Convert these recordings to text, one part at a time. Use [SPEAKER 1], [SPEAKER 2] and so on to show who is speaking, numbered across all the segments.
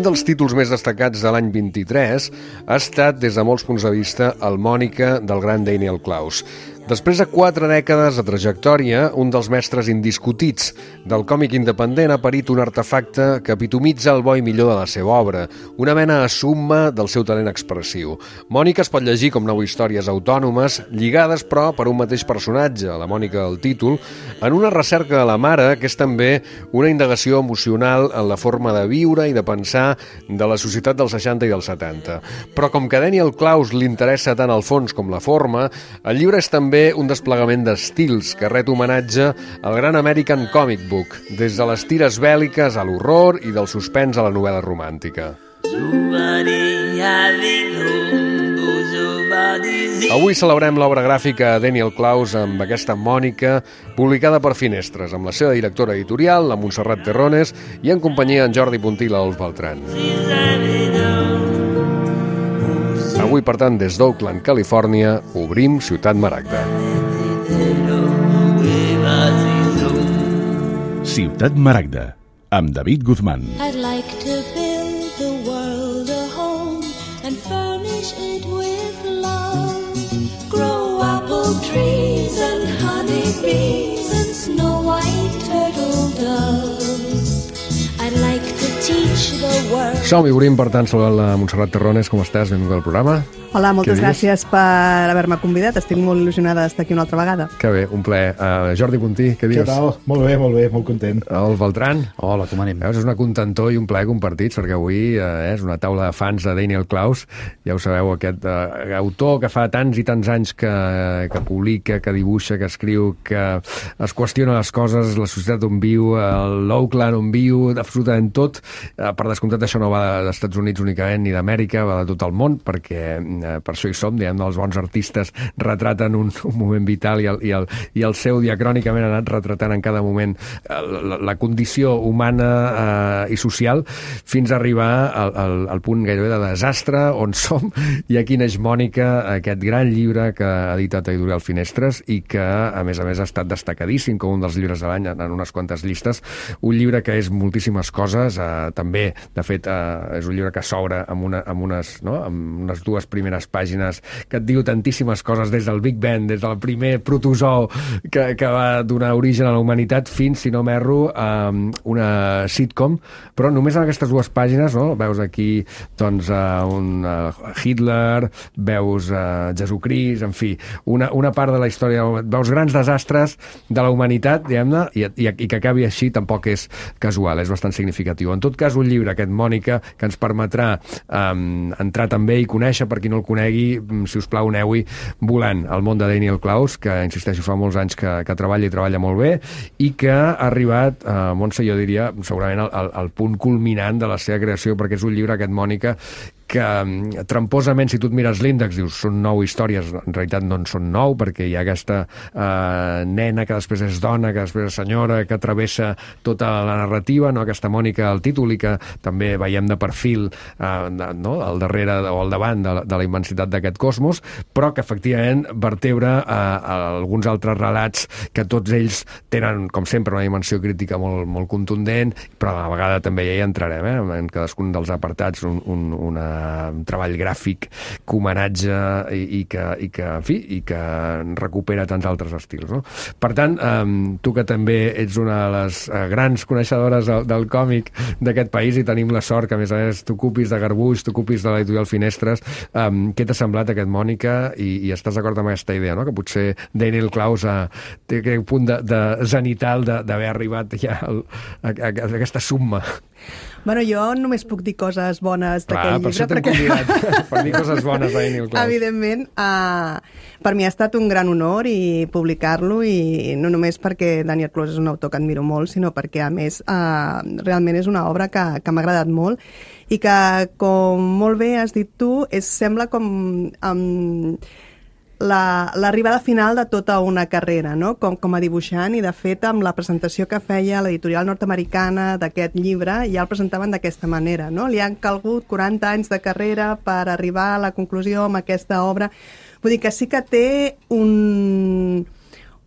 [SPEAKER 1] un dels títols més destacats de l'any 23 ha estat, des de molts punts de vista, el Mònica del gran Daniel Clowes. Després de 4 dècades de trajectòria, un dels mestres indiscutits del còmic independent ha parit un artefacte que epitomitza el bo i millor de la seva obra, una mena de summa del seu talent expressiu. Mònica es pot llegir com 9 històries autònomes, lligades però per un mateix personatge, la Mònica del títol, en una recerca de la mare que és també una indagació emocional en la forma de viure i de pensar de la societat dels 60 i dels 70. Però com que a Daniel Clowes li interessa tant el fons com la forma, el llibre és també un desplegament d'estils que ret homenatge al gran American Comic Book, des de les tires bèl·liques a l'horror i del suspens a la novel·la romàntica. Avui celebrem l'obra gràfica de Daniel Clowes amb aquesta Mònica, publicada per Finestres, amb la seva directora editorial, la Montserrat Terrones, i en companyia en Jordi Puntí i l'Adolf Beltrán. Avui, per tant, des d'Oakland, Califòrnia, obrim Ciutat Maragda.
[SPEAKER 2] Ciutat Maragda, amb David Guzmán.
[SPEAKER 3] I'd like to build the world a home and furnish it with love. Grow apple trees and honey bees and snow white turtle doves. I'd like to teach the world.
[SPEAKER 1] Som-hi, obrim, per tant, saludant la Montserrat Terrones. Com estàs? Benvinguda al programa.
[SPEAKER 4] Hola, moltes gràcies per haver-me convidat. Estic molt il·lusionada d'estar aquí una altra vegada.
[SPEAKER 1] Que bé, un plaer. Jordi Puntí, què dius?
[SPEAKER 5] Què tal? Molt bé, molt content.
[SPEAKER 1] El Beltrán?
[SPEAKER 6] Hola, com anem?
[SPEAKER 1] Veus, és una contentor i un plaer compartits, perquè avui és una taula de fans de Daniel Clowes. Ja ho sabeu, aquest autor que fa tants i tants anys que publica, que dibuixa, que escriu, que es qüestiona les coses, la societat on viu, l'Oakland on viu, absolutament tot. Per descomptat, això no va dels Estats Units únicament ni d'Amèrica, va de tot el món, perquè per això hi som, diguem, els bons artistes retraten un moment vital i el seu diacrònicament ha anat retratant en cada moment la condició humana i social fins a arribar al punt gairebé de desastre on som, i aquí neix Mònica, aquest gran llibre que ha editat Editorial Finestres i que, a més, ha estat destacadíssim com un dels llibres de l'any en unes quantes llistes. Un llibre que és moltíssimes coses, també, de fet, és un llibre que s'obre amb unes 2 primeres pàgines que et diu tantíssimes coses, des del Big Bang, des del primer protozoo que va donar origen a la humanitat fins, si no m'erro, a una sitcom, però només en aquestes 2 pàgines, no? Veus aquí doncs, un Hitler, veus Jesucrist, en fi, una part de la història, veus grans desastres de la humanitat, diguem-ne, i que acabi així tampoc és casual, és bastant significatiu. En tot cas, un llibre, aquest Mònica, que ens permetrà entrar també i conèixer, per qui no el conegui, si us plau, aneu-hi volant al món de Daniel Clowes, que, insisteixo, fa molts anys que treballa i treballa molt bé, i que ha arribat, Montse, jo diria, segurament al punt culminant de la seva creació, perquè és un llibre, aquest Mònica, que tramposament, si tu et mires l'índex, dius, són 9 històries, en realitat no en són 9, perquè hi ha aquesta nena que després és dona, que després és senyora, que travessa tota la narrativa, no? Aquesta Mònica al títol, i que també veiem de perfil no? Al darrere o al davant de la immensitat d'aquest cosmos, però que efectivament vertebra alguns altres relats que tots ells tenen, com sempre, una dimensió crítica molt contundent, però a la vegada també ja hi entrarem, en cadascun dels apartats un treball gràfic que homenatge i que recupera tants altres estils, no? Per tant, tu que també ets una de les grans coneixedores del còmic d'aquest país i tenim la sort que, a més, t'ocupis de Garbuix, t'ocupis de l'Editorial Finestres, què t'ha semblat aquest Mònica i estàs d'acord amb aquesta idea, no? Que potser Daniel Clowes té un punt de zenital d'haver arribat ja a aquesta summa?
[SPEAKER 4] Bueno, jo només puc dir coses bones d'aquell llibre.
[SPEAKER 1] Per això t'hem convidat, per dir coses bones de Daniel Clowes.
[SPEAKER 4] Evidentment, per mi ha estat un gran honor i publicar-lo, i no només perquè Daniel Clowes és un autor que admiro molt, sinó perquè, a més, realment és una obra que m'ha agradat molt i que, com molt bé has dit tu, sembla com l'arribada final de tota una carrera, no? Com a dibuixant, i de fet amb la presentació que feia l'editorial nord-americana d'aquest llibre ja el presentaven d'aquesta manera, no? Li han calgut 40 anys de carrera per arribar a la conclusió amb aquesta obra. Vull dir que sí que té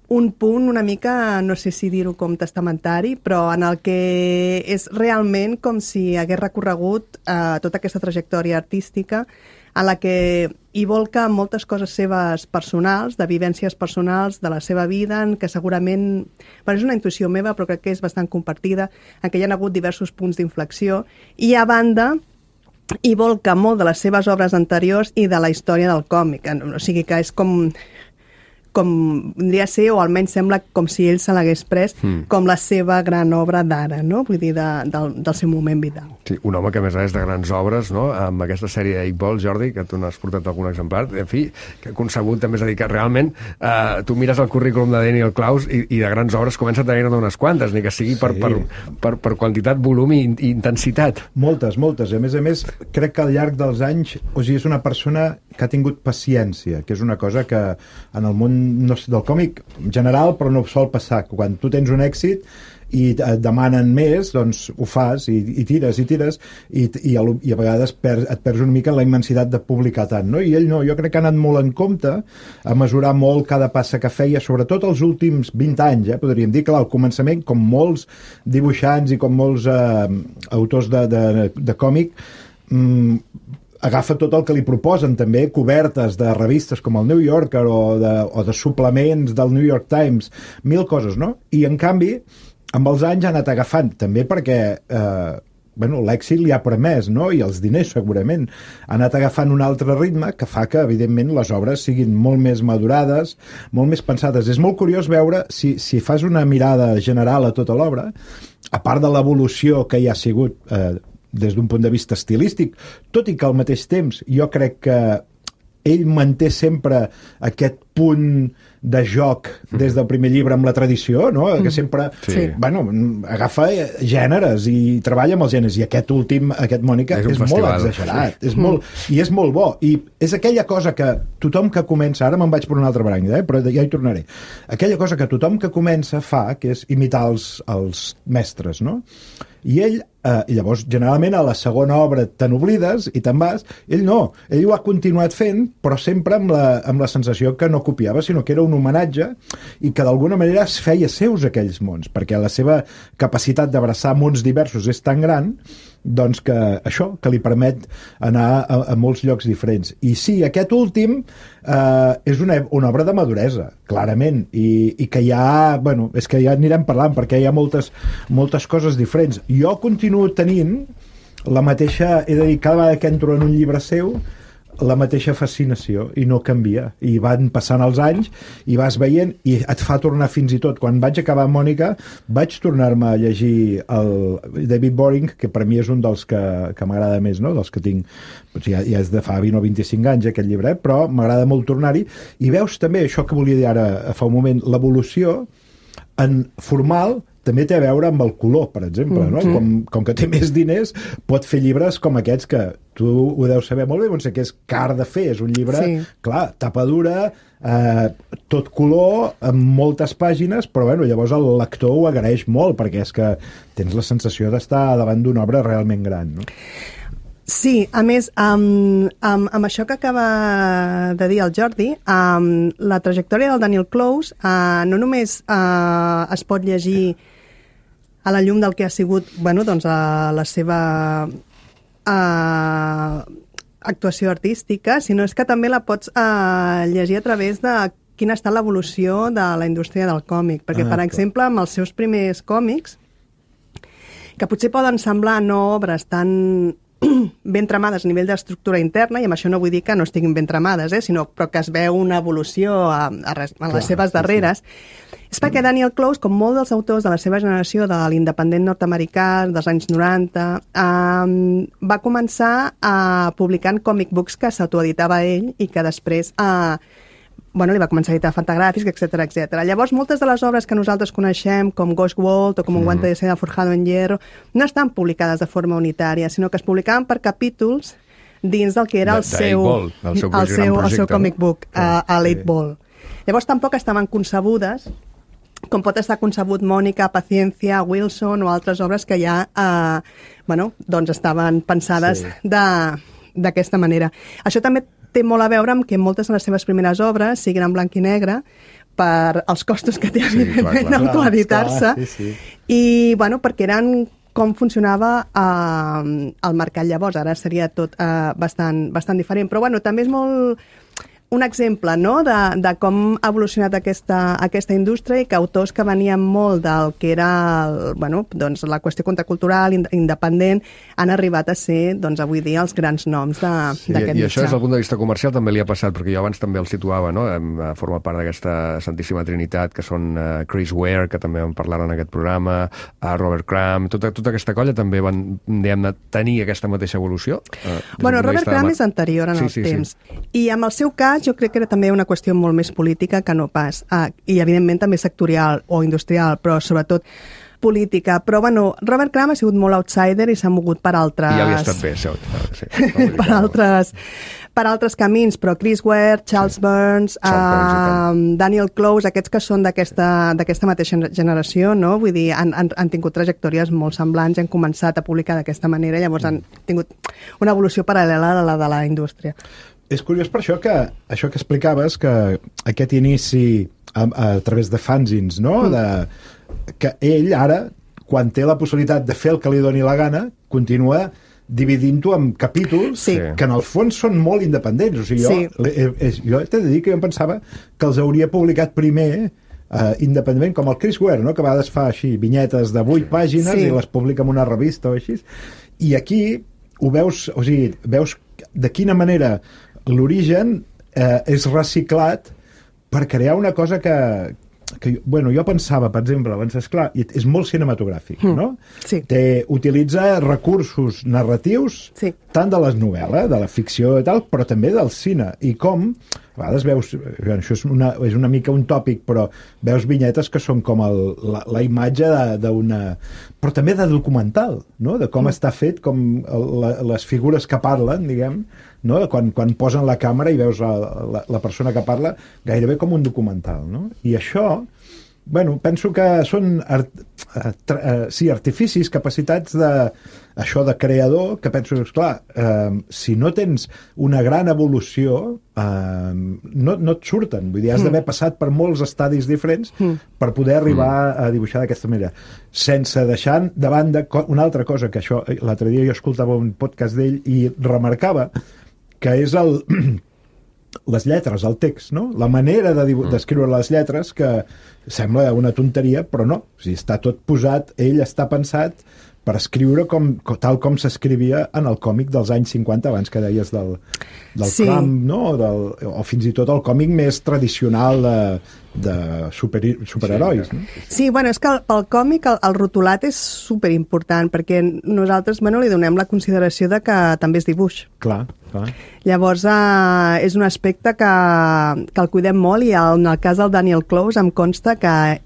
[SPEAKER 4] un punt una mica, no sé si dir-ho com testamentari, però en el que és realment com si hagués recorregut tota aquesta trajectòria artística en la que hi volca moltes coses seves personals, de vivències personals de la seva vida, en què segurament, bueno, és una intuïció meva, però crec que és bastant compartida, en què hi ha hagut diversos punts d'inflexió, i a banda hi volca molt de les seves obres anteriors i de la història del còmic. O sigui que és com vendria a ser, o almenys sembla com si ell se l'hagués pres com la seva gran obra d'ara, no? Vull dir, del seu moment vital.
[SPEAKER 1] Sí, un home que a més és de grans obres, no? Amb aquesta sèrie d'Eight Ball, Jordi, que tu n'has portat algun exemplar, en fi, que ha concebut també, és a dir, que realment tu mires el currículum de Daniel Klaus i de grans obres comença a tenir-ne unes quantes, ni que sigui per quantitat, volum i intensitat.
[SPEAKER 5] Moltes. I a més, crec que al llarg dels anys, o sigui, és una persona que ha tingut paciència, que és una cosa que en el món del còmic en general, però no sol passar. Quan tu tens un èxit i et demanen més, doncs ho fas i tires i a vegades et perds una mica en la immensitat de publicar tant, no? I ell no, jo crec que ha anat molt en compte a mesurar molt cada passa que feia, sobretot els últims 20 anys, podríem dir, clar, al començament, com molts dibuixants i com molts autors de còmic, agafa tot el que li proposen, també cobertes de revistes com el New Yorker o de suplements del New York Times, mil coses, no? I en canvi, amb els anys ha anat agafant, també perquè l'èxit li ha permès, no? I els diners segurament, ha anat agafant un altre ritme que fa que, evidentment, les obres siguin molt més madurades, molt més pensades. És molt curiós veure, si fas una mirada general a tota l'obra, a part de l'evolució que hi ha sigut des d'un punt de vista estilístic, tot i que al mateix temps jo crec que ell manté sempre aquest punt de joc des del primer llibre amb la tradició, no? Que sempre agafa gèneres i treballa amb els gèneres, i aquest últim, aquest Mònica, és molt exagerat, i és molt bo, i és aquella cosa que tothom que comença, ara me'n vaig per una altra branca, però ja hi tornaré, aquella cosa que tothom que comença fa, que és imitar els mestres, no? I ell, llavors, generalment a la segona obra te n'oblides i te'n vas, ell no, ell ho ha continuat fent, però sempre amb la sensació que no copiava, sinó que era un homenatge i que d'alguna manera es feia seus aquells mons, perquè la seva capacitat d'abraçar mons diversos és tan gran, doncs que això, que li permet anar a molts llocs diferents. I sí, aquest últim és una obra de maduresa, clarament, i que ja, és que ja anirem parlant, perquè hi ha moltes coses diferents. Jo continuo tenint la mateixa, he de dir, cada vegada que entro en un llibre seu, la mateixa fascinació, i no canvia, i van passant els anys i vas veient, i et fa tornar fins i tot, quan vaig acabar Mònica vaig tornar-me a llegir el David Boring, que per mi és un dels que m'agrada més, no? Dels que tinc, ja és de fa 20 o 25 anys aquest llibre, però m'agrada molt tornar-hi, i veus també això que volia dir ara fa un moment, l'evolució en formal també té a veure amb el color, per exemple, no? Com que té més diners, pot fer llibres com aquests que tu ho deus saber molt bé, no sé què és car de fer, és un llibre, clar, tapa dura, tot color, amb moltes pàgines, però llavors el lector ho agraeix molt, perquè és que tens la sensació d'estar davant d'una obra realment gran, no?
[SPEAKER 4] Sí, a més, amb això que acaba de dir el Jordi, la trajectòria del Daniel Clowes no només es pot llegir a la llum del que ha sigut la seva actuació artística, sinó és que també la pots llegir a través de quina ha estat l'evolució de la indústria del còmic. Perquè, per exemple, amb els seus primers còmics, que potser poden semblar no obres tan ben tramades a nivell d'estructura interna, i amb això no vull dir que no estiguin ben tramades, però que es veu una evolució en les seves darreres, és perquè Daniel Clowes, com molts dels autors de la seva generació de l'independent nord-americà dels anys 90, va començar publicant comic books que s'autoeditava ell i que després li va començar a editar Fantagràfics, etc. Llavors, moltes de les obres que nosaltres coneixem, com Ghost World o com Un guante de seda forjado en hierro, no estan publicades de forma unitària, sinó que es publicaven per capítols dins del que era el seu comic book, a l'Eight Ball. Llavors, tampoc estaven concebudes com pot estar concebut Mònica, Paciencia, Wilson o altres obres que ja estaven pensades d'aquesta manera. Això també té molt a veure amb que moltes de les seves primeres obres siguin en blanc i negre, per als costos que té,
[SPEAKER 1] Sí,
[SPEAKER 4] evidentment,
[SPEAKER 1] clar.
[SPEAKER 4] autoeditar-se.
[SPEAKER 5] Clar, sí.
[SPEAKER 4] I, bueno, perquè eren com funcionava el mercat llavors. Ara seria tot bastant diferent. Però, bueno, també és molt un exemple, no?, de com ha evolucionat aquesta indústria i que autors que venien molt del que era doncs la qüestió contracultural, independent, han arribat a ser, doncs, avui dia els grans noms d'aquest mitjà.
[SPEAKER 1] I això des del punt de vista comercial també li ha passat, perquè jo abans també el situava, no?, forma part d'aquesta Santíssima Trinitat, que són Chris Ware, que també en parlaren en aquest programa, Robert Crumb, tota aquesta colla també van, diguem-ne, tenir aquesta mateixa evolució.
[SPEAKER 4] Bueno, Robert Crumb és anterior en el temps. I amb el seu cas jo crec que era també una qüestió molt més política que no pas, i evidentment també sectorial o industrial, però sobretot política. Però, bueno, Robert Crumb ha sigut molt outsider i s'ha mogut per altres...
[SPEAKER 1] I ja havia estat bé, sí.
[SPEAKER 4] per altres camins, però Chris Ware, Charles Burns, Daniel Clowes, aquests que són d'aquesta mateixa generació, no? Vull dir, han tingut trajectòries molt semblants i han començat a publicar d'aquesta manera, llavors han tingut una evolució paral·lela a la de la indústria.
[SPEAKER 5] És curiós per això que explicaves, que aquest inici a través de fanzines, no? Que ell ara, quan té la possibilitat de fer el que li doni la gana, continua dividint-ho en capítols que en el fons són molt independents. O sigui, jo t'he de dir que jo em pensava que els hauria publicat primer independentment, com el Chris Ware, no?, que a vegades fa així vinyetes de 8 pàgines i les publica en una revista o així. I aquí ho veus, o sigui, veus de quina manera l'origen és reciclat per crear una cosa que bueno, jo pensava, per exemple, abans, esclar, és molt cinematogràfic, no?
[SPEAKER 4] Sí.
[SPEAKER 5] Utilitza recursos narratius tant de les novel·les, de la ficció i tal, però també del cine. I com, a vegades veus, això és una mica un tòpic, però veus vinyetes que són com la imatge d'una... però també de documental, no? De com està fet, com les figures que parlen, diguem, no? Quan posen la càmera i veus la persona que parla, gairebé com un documental, no? I això, bueno, penso que són artificis, capacitats de creador, que penso, esclar, si no tens una gran evolució, no et surten. Vull dir, has d'haver passat per molts estadis diferents per poder arribar a dibuixar d'aquesta manera. Sense deixar de banda una altra cosa, que això, l'altre dia jo escoltava un podcast d'ell i remarcava que és les lletres, el text, no? La manera d'escriure les lletres, que sembla una tonteria, però no. O sigui, està tot posat, ell està pensat per escriure tal com s'escrivia en el còmic dels anys 50, abans que deies del Crumb, no? O fins i tot el còmic més tradicional de superherois. No?
[SPEAKER 4] Sí, bueno, és que pel còmic el rotulat és superimportant, perquè nosaltres, bueno, li donem la consideració de que també és dibuix.
[SPEAKER 5] Clar.
[SPEAKER 4] Llavors, és un aspecte que el cuidem molt, i en el cas del Daniel Clowes em consta que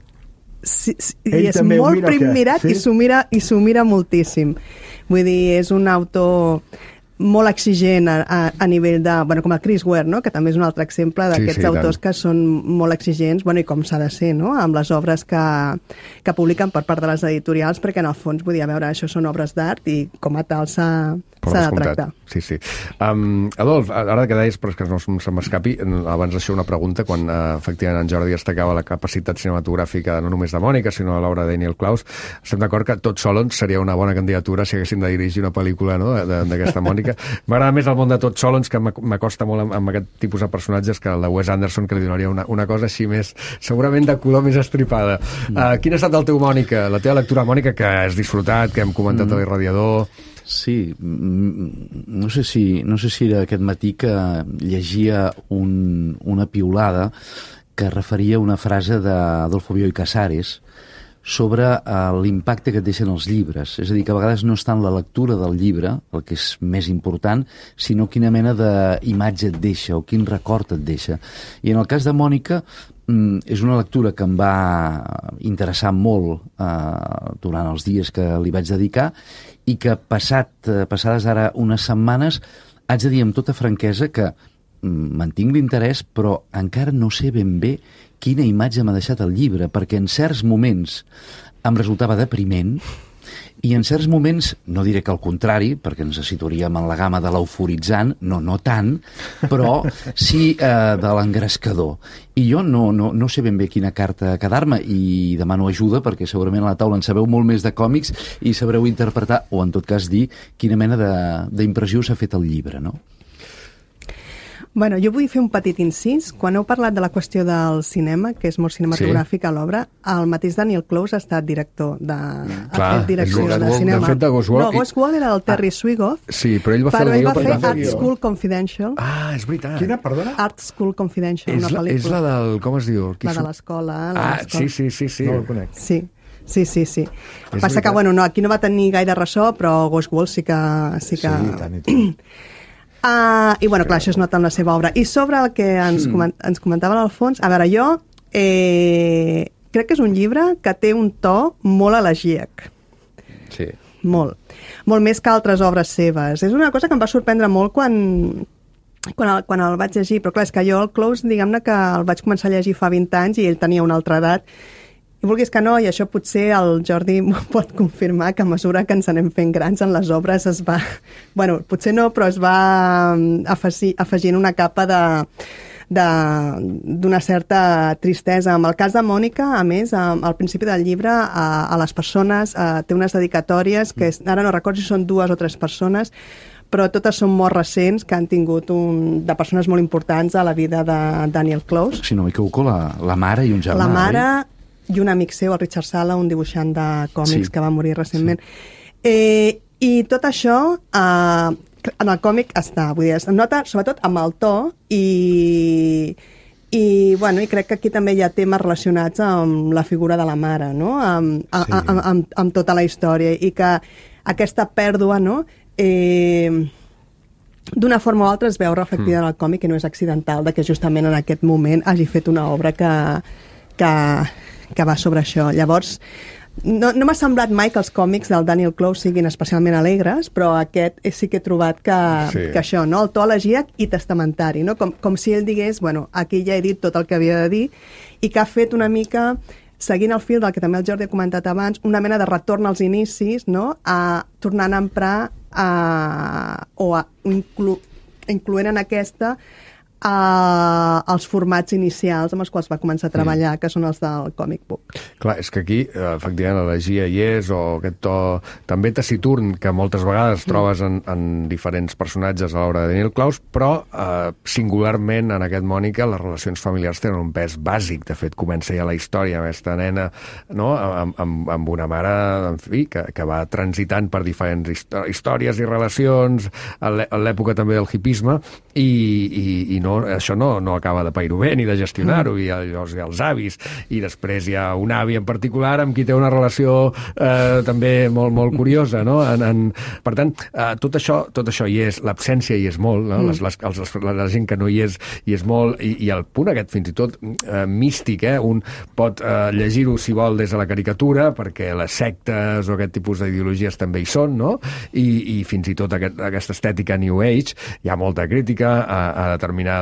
[SPEAKER 4] és molt primmirat i s'ho mira moltíssim. Vull dir, és un autor molt exigent a nivell de... Bueno, com el Chris Ware, no?, que també és un altre exemple d'aquests autors que són molt exigents, bueno, i com s'ha de ser, no?, amb les obres que publiquen per part de les editorials, perquè en el fons, vull dir, a veure, això són obres d'art i com a tal s'ha de tractar.
[SPEAKER 1] Sí. Adolf, ara que deies, però és que no se m'escapi, abans d'això una pregunta, quan efectivament en Jordi destacava la capacitat cinematogràfica no només de Mònica, sinó a l'obra de Daniel Clowes, estem d'acord que Todd Solondz seria una bona candidatura si haguéssim de dirigir una pel·lícula, no?, d'aquesta Mònica. M'agrada més el món de Todd Solondz, que m'acosta molt amb aquest tipus de personatges, que el de Wes Anderson, que li donaria una cosa així més, segurament de color més estripada. Quin ha estat el teu, Mònica, la teva lectura, Mònica, que has disfrutat, que hem comentat a l'Irradiador?
[SPEAKER 6] Sí, no sé si era aquest matí que llegia una piulada que referia a una frase d'Adolfo Bioy Casares sobre l'impacte que et deixen els llibres. És a dir, que a vegades no és tant la lectura del llibre, el que és més important, sinó quina mena d'imatge et deixa o quin record et deixa. I en el cas de Mònica, és una lectura que em va interessar molt durant els dies que li vaig dedicar, i que passades ara unes setmanes haig de dir amb tota franquesa que mantinc l'interès, però encara no sé ben bé quina imatge m'ha deixat el llibre, perquè en certs moments em resultava depriment I en certs moments, no diré que al contrari, perquè ens situaríem en la gamma de l'euforitzant, no tant, però sí de l'engrescador. I jo no sé ben bé quina carta quedar-me i demano ajuda perquè segurament a la taula en sabeu molt més de còmics i sabreu interpretar, o en tot cas dir, quina mena d'impressió s'ha fet el llibre, no?
[SPEAKER 4] Bueno, jo vull fer un petit incís. Quan heu parlat de la qüestió del cinema, que és molt cinematogràfic a l'obra, el mateix Daniel Close ha estat director de cinema.
[SPEAKER 1] De fet, de Ghost World.
[SPEAKER 4] No, Ghost World era el Terry Swigoff.
[SPEAKER 1] Sí, però ell va fer
[SPEAKER 4] però
[SPEAKER 1] el
[SPEAKER 4] ell
[SPEAKER 1] guió
[SPEAKER 4] va fer
[SPEAKER 1] per
[SPEAKER 4] Art School Confidential.
[SPEAKER 1] Ah, és veritat.
[SPEAKER 5] Quina, perdona?
[SPEAKER 4] Art School Confidential, una pel·lícula.
[SPEAKER 1] És la del... Com es diu?
[SPEAKER 4] La de l'escola.
[SPEAKER 1] Sí.
[SPEAKER 5] No el conec.
[SPEAKER 4] Sí. Passa
[SPEAKER 1] veritat.
[SPEAKER 4] que, bueno, no, aquí no va tenir gaire ressò, però Ghost World sí que...
[SPEAKER 5] Sí, i tant.
[SPEAKER 4] I, bueno, clar, això es nota en la seva obra. I sobre el que ens comentava l'Alfons, a veure, jo crec que és un llibre que té un to molt elegíac.
[SPEAKER 1] Sí.
[SPEAKER 4] Molt més que altres obres seves. És una cosa que em va sorprendre molt quan el vaig llegir, però clar, és que jo el Close, diguem-ne que el vaig començar a llegir fa 20 anys i ell tenia una altra edat. I vulguis que no, i això potser el Jordi pot confirmar que a mesura que ens anem fent grans en les obres es va... Bueno, potser no, però es va afegint una capa d'una certa tristesa. En el cas de Mònica, a més, al principi del llibre, a les persones té unes dedicatòries que ara no recordo si són 2 o 3 persones, però totes són morts recents que han tingut de persones molt importants a la vida de Daniel Close.
[SPEAKER 6] Si no m'equivoco, la mare i un germà.
[SPEAKER 4] La mare i un amic seu, el Richard Sala, un dibuixant de còmics que va morir recentment. Sí. I tot això en el còmic està, vull dir, es nota sobretot amb el to i crec que aquí també hi ha temes relacionats amb la figura de la mare, no? Amb tota la història, i que aquesta pèrdua, no? D'una forma o altra es veu reflectida en el còmic, i no és accidental de que justament en aquest moment hagi fet una obra que va sobre això. Llavors, no m'ha semblat mai que els còmics del Daniel Close siguin especialment alegres, però aquest sí que he trobat que això, no? El to elegíac i testamentari, no? Com si ell digués, bueno, aquí ja he dit tot el que havia de dir, i que ha fet una mica, seguint el fil del que també el Jordi ha comentat abans, una mena de retorn als inicis, no? Tornant a emprar incloent en aquesta els formats inicials amb els quals va començar a treballar, que són els del comic book.
[SPEAKER 1] Clar, és que aquí, efectivament, l'elegia hi és, o aquest to també taciturn que moltes vegades trobes en diferents personatges a l'obra de Daniel Close, però singularment en aquest Mònica les relacions familiars tenen un pes bàsic. De fet, comença ja la història amb aquesta nena, no? amb una mare, en fi, que va transitant per diferents històries i relacions, a l'època també del hipisme, i això no acaba de pair-ho bé ni de gestionar-ho, i llavors hi ha els avis, i després hi ha un avi en particular amb qui té una relació també molt, molt curiosa, no? Per tant, tot això hi és, l'absència hi és molt, no? La gent que no hi és molt, i el punt aquest fins i tot místic, un pot llegir-ho si vol des de la caricatura, perquè les sectes o aquest tipus d'ideologies també hi són, no? I fins i tot aquesta estètica New Age, hi ha molta crítica a determinats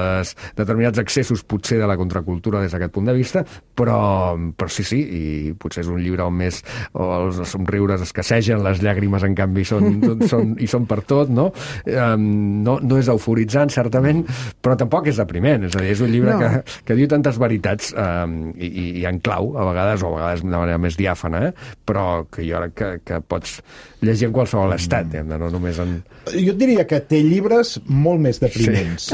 [SPEAKER 1] accessos potser de la contracultura des d'aquest punt de vista, però sí, i potser és un llibre on més els somriures escassegen, les llàgrimes en canvi són per tot, no? No és euforitzant, certament, però tampoc és depriment, és a dir, és un llibre que diu tantes veritats i en clau, a vegades de manera més diàfana, però que jo crec que pots llegir en qualsevol estat, no només en...
[SPEAKER 5] Jo et diria que té llibres molt més depriments.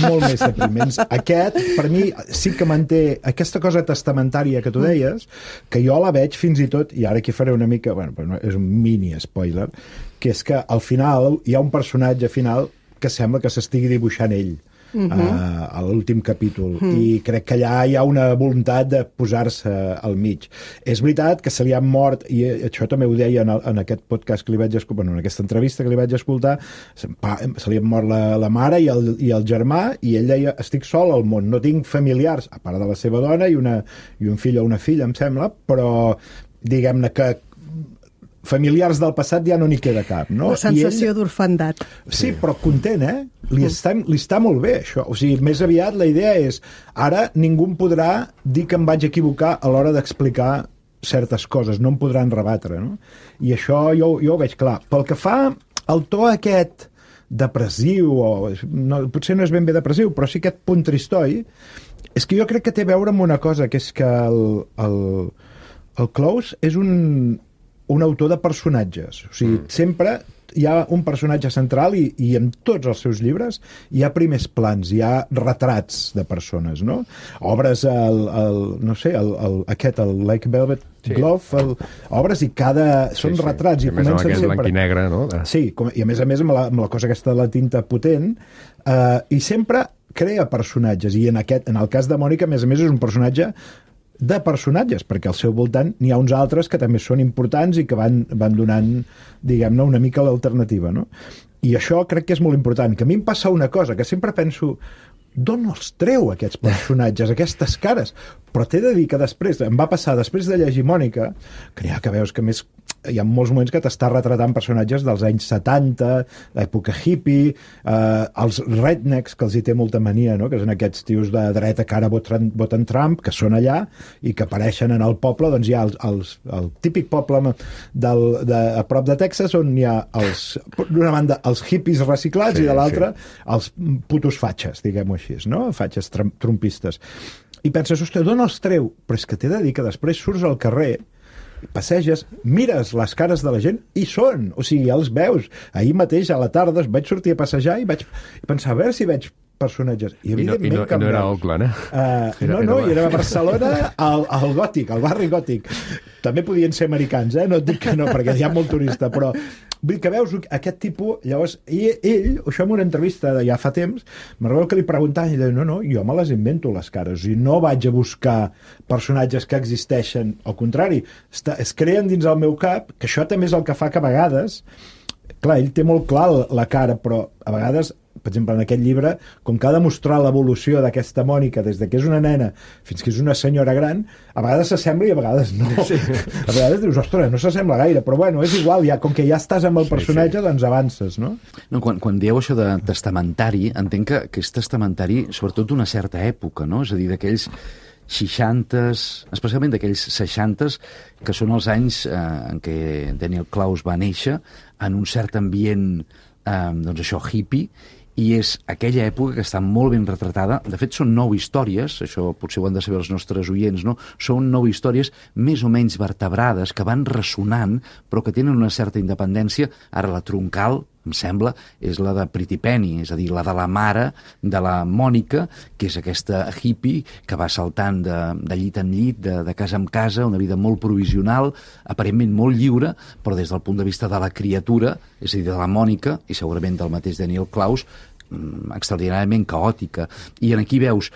[SPEAKER 5] Molt més depriments. Aquest, per mi, sí que manté aquesta cosa testamentària que tu deies, que jo la veig fins i tot, i ara aquí faré una mica, bueno, és un mini spoiler, que és que al final hi ha un personatge final que sembla que s'estigui dibuixant ell a l'últim capítol, i crec que allà hi ha una voluntat de posar-se al mig. És veritat que se li han mort, i això també ho deia en aquest podcast que li vaig escoltar, en aquesta entrevista que li vaig escoltar, se li han mort la mare i el germà, i ell deia, estic sol al món, no tinc familiars, a part de la seva dona i un fill o una filla, em sembla, però diguem-ne que familiars del passat ja no n'hi queda cap, no?
[SPEAKER 4] La sensació d'orfandat.
[SPEAKER 5] Sí, però content, Li està molt bé, això. O sigui, més aviat la idea és, ara ningú em podrà dir que em vaig equivocar a l'hora d'explicar certes coses, no em podran rebatre, no? I això jo ho veig clar. Pel que fa al to aquest depressiu, potser no és ben bé depressiu, però sí aquest punt tristoi, és que jo crec que té a veure amb una cosa, que és que el Close és un autor de personatges. O sigui, sempre hi ha un personatge central i en tots els seus llibres hi ha primers plans, hi ha retrats de persones, no? Obres, no sé, el Like Velvet Glove, obres i són retrats.
[SPEAKER 1] I a més amb aquest blanc i negre, no?
[SPEAKER 5] Sí, i a més amb la cosa aquesta de la tinta potent, i sempre crea personatges, i en el cas de Mònica, a més, és un personatge de personatges, perquè al seu voltant n'hi ha uns altres que també són importants i que van donant, diguem-ne, una mica l'alternativa, no? I això crec que és molt important, que a mi em passa una cosa, que sempre penso, d'on els treu aquests personatges, aquestes cares? Però t'he de dir que després, em va passar, després de llegir Mònica, que veus que més hi ha molts moments que t'està retratant personatges dels anys 70, l'època hippie, els rednecks, que els hi té molta mania, no? Que són aquests tios de dreta que ara voten Trump, que són allà i que apareixen en el poble. Doncs hi ha el típic poble a prop de Texas, on hi ha d'una banda els hippies reciclats, i de l'altra els putos fatxes, diguem-ho així, no? Fatxes trumpistes. I penses, ostres, d'on els treu? Però és que t'he de dir que després surts al carrer, passeges, mires les cares de la gent i són, o sigui, ja els veus. Ahir mateix a la tarda vaig sortir a passejar i vaig pensar, a veure si veig personatges. I no
[SPEAKER 1] era Oakland,
[SPEAKER 5] No, i era a Barcelona, al Gòtic, al barri Gòtic. També podien ser americans, no et dic que no, perquè hi ha molt turista, però vull que veus aquest tipus. Llavors, ell, això en una entrevista de ja fa temps, me'n recordo que li preguntaven i ell deia, no, jo me les invento les cares, i no vaig a buscar personatges que existeixen, al contrari, es creen dins el meu cap, que això també és el que fa que a vegades, clar, ell té molt clar la cara, però a vegades, per exemple, en aquest llibre, com que ha de mostrar l'evolució d'aquesta Mònica des de que és una nena fins que és una senyora gran, a vegades s'assembla i a vegades no. Sí. A vegades dius, ostres, no s'assembla gaire, però bueno, és igual, com que ja estàs amb el personatge, doncs avances, no?
[SPEAKER 6] No, quan dieu això de testamentari, entenc que és testamentari sobretot d'una certa època, no? És a dir, d'aquells 60s, especialment d'aquells 60s, que són els anys en què Daniel Clowes va néixer, en un cert ambient, doncs això, hippie, i és aquella època que està molt ben retratada. De fet, són 9 històries, això potser ho han de saber els nostres oients, no? Són 9 històries més o menys vertebrades, que van ressonant, però que tenen una certa independència. Ara, la troncal, em sembla, és la de Pretty Penny, és a dir, la de la mare de la Mònica, que és aquesta hippie que va saltant de llit en llit, de casa en casa, una vida molt provisional, aparentment molt lliure, però des del punt de vista de la criatura, és a dir, de la Mònica, i segurament del mateix Daniel Clowes, extraordinàriament caòtica. I aquí veus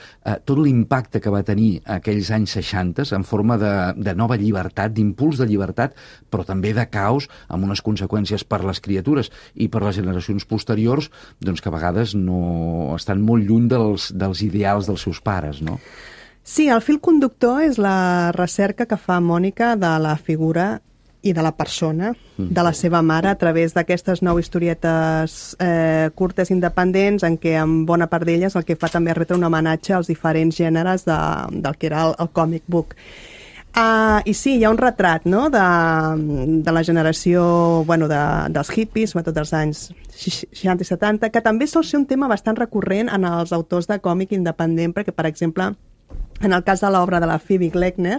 [SPEAKER 6] tot l'impacte que va tenir aquells anys 60 en forma de nova llibertat, d'impuls de llibertat, però també de caos, amb unes conseqüències per les criatures i per les generacions posteriors, doncs que a vegades no estan molt lluny dels ideals dels seus pares, no?
[SPEAKER 4] Sí, el fil conductor és la recerca que fa Mònica de la figura i de la persona, de la seva mare, a través d'aquestes 9 historietes curtes independents, en què en bona part d'elles el que fa també és retre un homenatge als diferents gèneres del que era el comic book. I sí, hi ha un retrat, no?, de la generació, bueno, dels hippies, sobretot dels anys 60 i 70, que també sol ser un tema bastant recurrent en els autors de còmic independent, perquè, per exemple, en el cas de l'obra de la Phoebe Gleckner,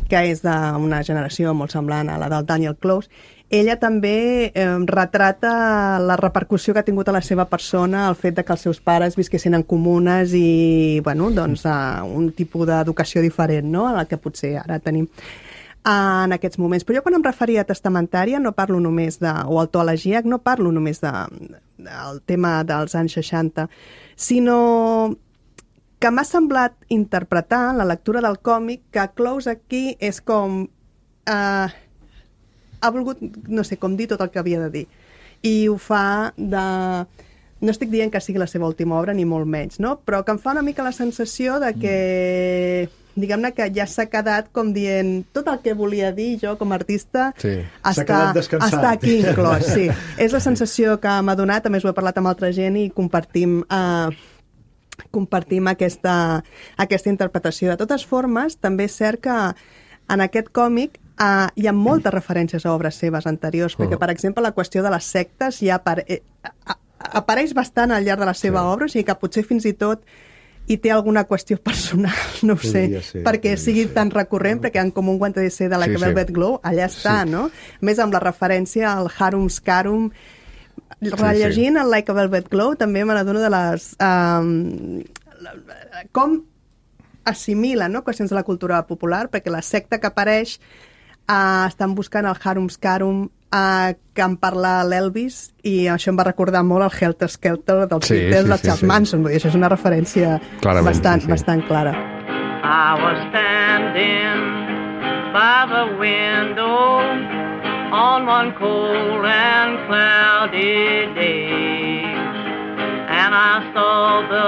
[SPEAKER 4] que és d'una generació molt semblant a la del Daniel Clowes, ella també retrata la repercussió que ha tingut a la seva persona el fet de que els seus pares visquessin en comunes i, bueno, doncs, un tipus d'educació diferent, no?, a la que potser ara tenim en aquests moments. Però jo quan em referia a testamentària no parlo només o autoelegiac, no parlo només del tema dels anys 60, sinó que m'ha semblat interpretar en la lectura del còmic que Clowes aquí és com ha volgut, no sé, com dir tot el que havia de dir. I ho fa no estic dient que sigui la seva última obra, ni molt menys, no? Però que em fa una mica la sensació de que diguem-ne que ja s'ha quedat com dient tot el que volia dir jo com a artista està aquí inclòs. Sí. És la sensació que m'ha donat, a més ho he parlat amb altra gent i compartim aquesta interpretació. De totes formes, també és cert que en aquest còmic hi ha moltes referències a obres seves anteriors, perquè, per exemple, la qüestió de les sectes ja apareix bastant al llarg de la seva obra, o sigui que potser fins i tot hi té alguna qüestió personal, no ho sé, perquè sigui tan recurrent, perquè en Comú Guante de Seda, Like a Velvet Glow, allà està, no? A més, amb la referència al Harum Scarum, rellegint el Like a Velvet Glow, també me n'adono de les... com assimila, no?, qüestions de la cultura popular, perquè la secta que apareix estan buscant el Harum Scarum que en parla l'Elvis, i això em va recordar molt el Helter Skelter dels Beatles, de Charles Manson. Vull dir, això és una referència bastant clara.
[SPEAKER 7] I was standing by the window on one cold and cloudy day, and I saw the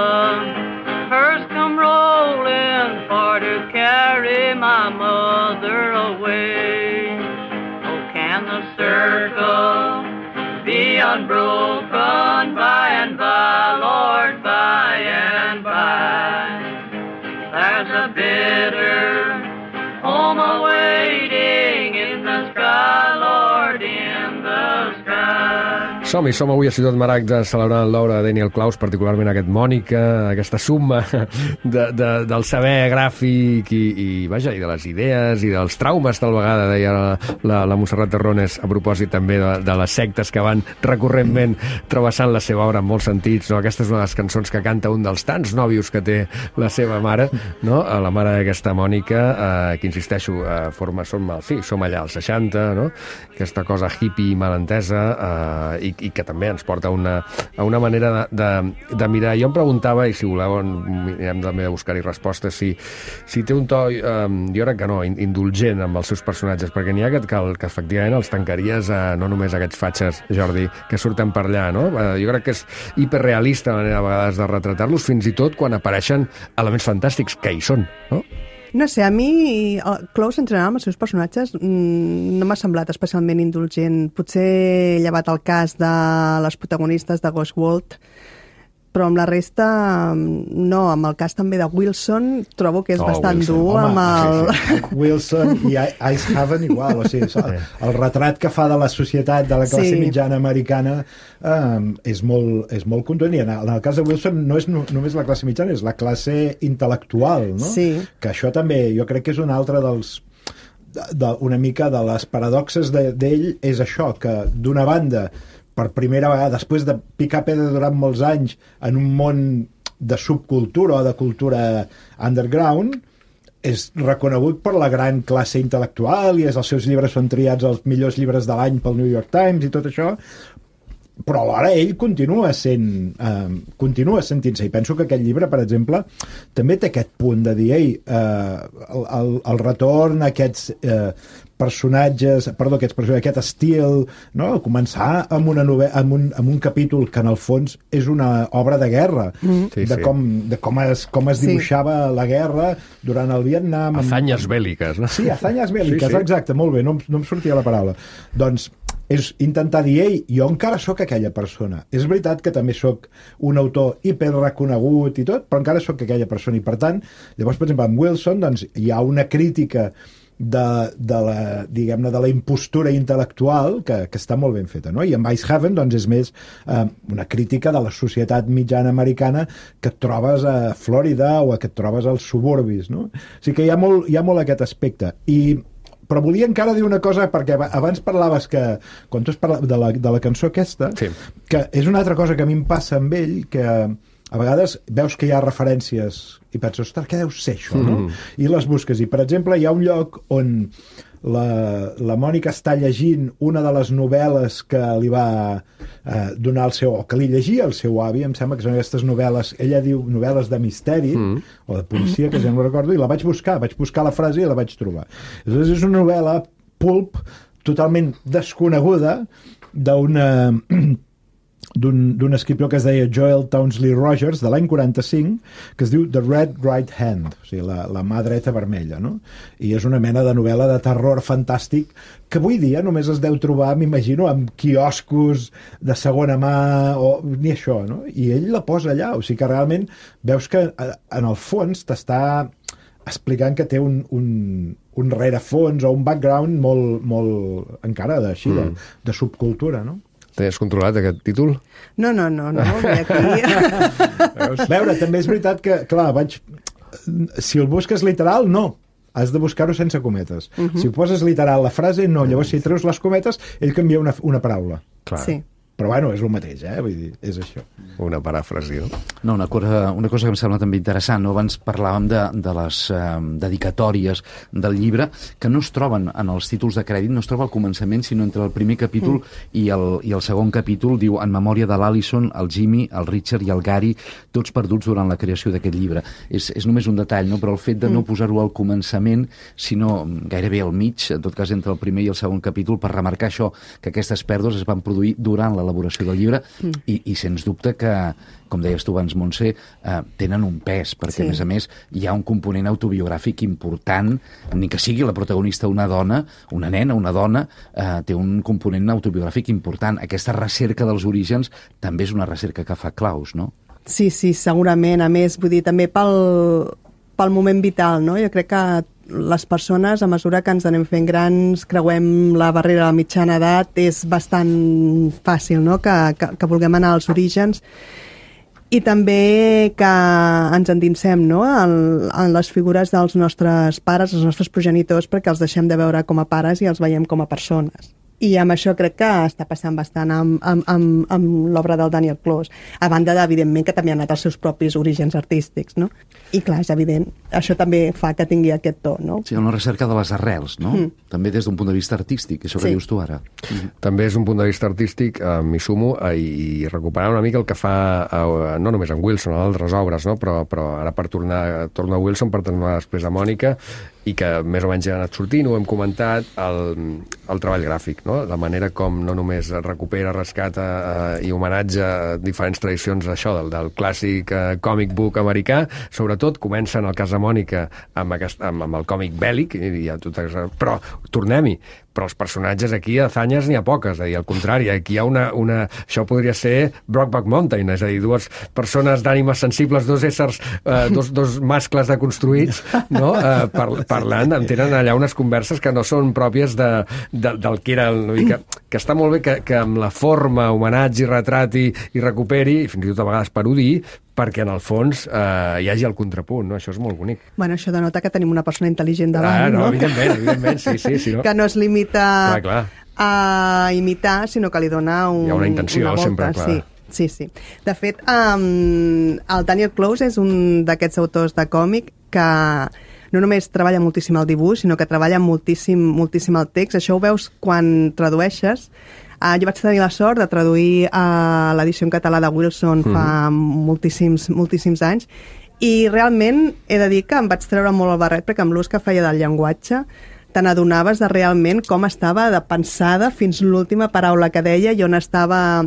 [SPEAKER 7] hearse come rolling for to carry my mother away. Oh, can the circle be unbroken by and by, Lord, by and by? There's a bitter home awaiting in the sky, Lord, in the sky.
[SPEAKER 1] Som avui a Ciutat Maragda celebrant l'obra de Daniel Klaus, particularment aquest Mònica, aquesta summa del saber gràfic i de les idees i dels traumes, tal vegada, deia la Montserrat Terrones, a propòsit també de les sectes que van recurrentment travessant la seva obra en molts sentits, no? Aquesta és una de les cançons que canta un dels tants nòvios que té la seva mare, no? La mare d'aquesta Mònica, que insisteixo, som allà als 60, no? Aquesta cosa hippie malentesa, i que també ens porta a una manera de mirar. Jo em preguntava, i si voleu anirem també a buscar-hi respostes, si té un to, jo crec que no, indulgent amb els seus personatges, perquè n'hi ha que efectivament els tancaries no només aquests fatxes, Jordi, que surten per allà, no? Jo crec que és hiperrealista la manera a vegades de retratar-los, fins i tot quan apareixen elements fantàstics, que hi són, no?
[SPEAKER 4] No sé, a mi Klaus en general amb els seus personatges no m'ha semblat especialment indulgent. Potser llevat el cas de les protagonistes de Ghost World, però amb la resta no. Amb el cas també de Wilson trobo que és bastant dur.
[SPEAKER 5] Wilson i Icehaven igual, o sigui, el retrat que fa de la societat de la classe mitjana americana és molt contundent, i en el cas de Wilson no és només la classe mitjana, és la classe intel·lectual, no? Que això també jo crec que és un altre una mica de les paradoxes d'ell, és això, que d'una banda, per primera vegada, després de picar pedra durant molts anys en un món de subcultura o de cultura underground, és reconegut per la gran classe intel·lectual, i els seus llibres són triats els millors llibres de l'any pel New York Times i tot això, però alhora ell continua sentint-se, i penso que aquest llibre, per exemple, també té aquest punt de dir, el retorn a aquests personatges, aquest estil, no? Començar amb una novel·la, amb un capítol que en el fons és una obra de guerra, com es dibuixava la guerra durant el Vietnam.
[SPEAKER 1] Hazañas bèl·liques, no?
[SPEAKER 5] Sí, hazañas bèl·liques, exacte, molt bé, no em sortia la paraula. Doncs és intentar dir, jo encara sóc aquella persona. És veritat que també sóc un autor hiperreconegut i tot, però encara sóc aquella persona, i per tant, llavors, per exemple, amb Wilson, doncs, hi ha una crítica de la impostura intel·lectual que està molt ben feta, no? I amb Icehaven, doncs, és més una crítica de la societat mitjana americana que et trobes a Florida o que et trobes als suburbis, no? O sigui que hi ha molt aquest aspecte. Però volia encara dir una cosa, perquè abans parlaves que, quan tu has parlat de la cançó aquesta, que és una altra cosa que a mi em passa amb ell, que a vegades veus que hi ha referències i penses, ostres, què deu ser això, no? I les busques. I, per exemple, hi ha un lloc on la Mònica està llegint una de les novel·les que li va donar que li llegia el seu avi, em sembla que són aquestes novel·les, ella diu novel·les de misteri o de policia, que ja no recordo, i la vaig buscar la frase i la vaig trobar. Aleshores, és una novel·la pulp totalment desconeguda d'un escriptor que es deia Joel Townsley Rogers, de l'any 45, que es diu The Red Right Hand, o sigui, la mà dreta vermella, no? I és una mena de novel·la de terror fantàstic que avui dia només es deu trobar, m'imagino, amb quioscos de segona mà, o ni això, no? I ell la posa allà, o sigui que realment veus que en el fons t'està explicant que té un rerefons o un background molt encara així, de subcultura, no?
[SPEAKER 1] Tenies controlat aquest títol?
[SPEAKER 4] No, ve aquí.
[SPEAKER 5] A veure, també és veritat que, clar, si el busques literal, no. Has de buscar-ho sense cometes. Si ho poses literal la frase, no. Llavors, si treus les cometes, ell canvia una paraula.
[SPEAKER 1] Clar.
[SPEAKER 4] Sí.
[SPEAKER 5] Però, bueno, és el mateix, Vull dir, és això.
[SPEAKER 1] Una paràfrasi, no?
[SPEAKER 6] No, una cosa que em sembla també interessant, no? Abans parlàvem de les dedicatòries del llibre, que no es troben en els títols de crèdit, no es troba al començament, sinó entre el primer capítol i el segon capítol. Diu, en memòria de l'Alison, el Jimmy, el Richard i el Gary, tots perduts durant la creació d'aquest llibre. És només un detall, no? Però el fet de no posar-ho al començament, sinó gairebé al mig, en tot cas entre el primer i el segon capítol, per remarcar això, que aquestes pèrdues es van produir durant l'elaboració del llibre i sens dubte que, com deies tu abans, Montse, tenen un pes, perquè a més hi ha un component autobiogràfic important, ni que sigui la protagonista una dona, una nena, una dona, té un component autobiogràfic important. Aquesta recerca dels orígens també és una recerca que fa Klaus, no?
[SPEAKER 4] Sí, segurament. A més, vull dir, també pel moment vital, no? Jo crec que les persones, a mesura que ens anem fent grans, creuem la barrera de la mitjana edat, és bastant fàcil, no?, que vulguem anar als orígens i també que ens endinsem, no?, en les figures dels nostres pares, els nostres progenitors, perquè els deixem de veure com a pares i els veiem com a persones. I amb això crec que està passant bastant amb l'obra del Daniel Close, a banda evidentment que també ha anat als seus propis orígens artístics, no? I clar, és evident, això també fa que tingui aquest to, no?
[SPEAKER 6] Sí, una recerca de les arrels, no? També des d'un punt de vista artístic, això que dius tu ara.
[SPEAKER 1] També és un punt de vista artístic, m'hi sumo, i recuperar una mica el que fa, no només en Wilson, en altres obres, no? Però ara torno a Wilson per tornar després a Mònica, i que més o menys ja ha anat sortint, ho hem comentat, el treball gràfic, no? La manera com no només recupera, rescata i homenatja diferents tradicions això del clàssic comic book americà, sobretot comença en el cas de Mònica amb el còmic bèl·lic, però tornem-hi, però els personatges aquí, hazañas n'hi ha poques, és a dir, al contrari, aquí hi ha això podria ser Brokeback Mountain, és a dir, dues persones d'ànimes sensibles, dos éssers, dos mascles deconstruïts, no?, parlant, tenen allà unes converses que no són pròpies del que era, que està molt bé que amb la forma, homenatge i retrati i recuperi, i fins i tot a vegades parodi, perquè en el fons hi hagi el contrapunt, no? Això és molt bonic.
[SPEAKER 4] Bueno, això denota que tenim una persona intel·ligent davant, no?
[SPEAKER 1] Evidentment, sí. No?
[SPEAKER 4] Que no es limita a imitar, sinó que li dona
[SPEAKER 1] hi ha una intenció,
[SPEAKER 4] una volta,
[SPEAKER 1] sempre, clar.
[SPEAKER 4] Sí. De fet, el Daniel Close és un d'aquests autors de còmic que no només treballa moltíssim el dibuix, sinó que treballa moltíssim el text. Això ho veus quan tradueixes. Jo vaig tenir la sort de traduir l'edició en català de Wilson fa moltíssims anys, i realment he de dir que em vaig treure molt el barret, perquè amb l'ús que feia del llenguatge te n'adonaves de realment com estava pensada fins l'última paraula que deia i on estava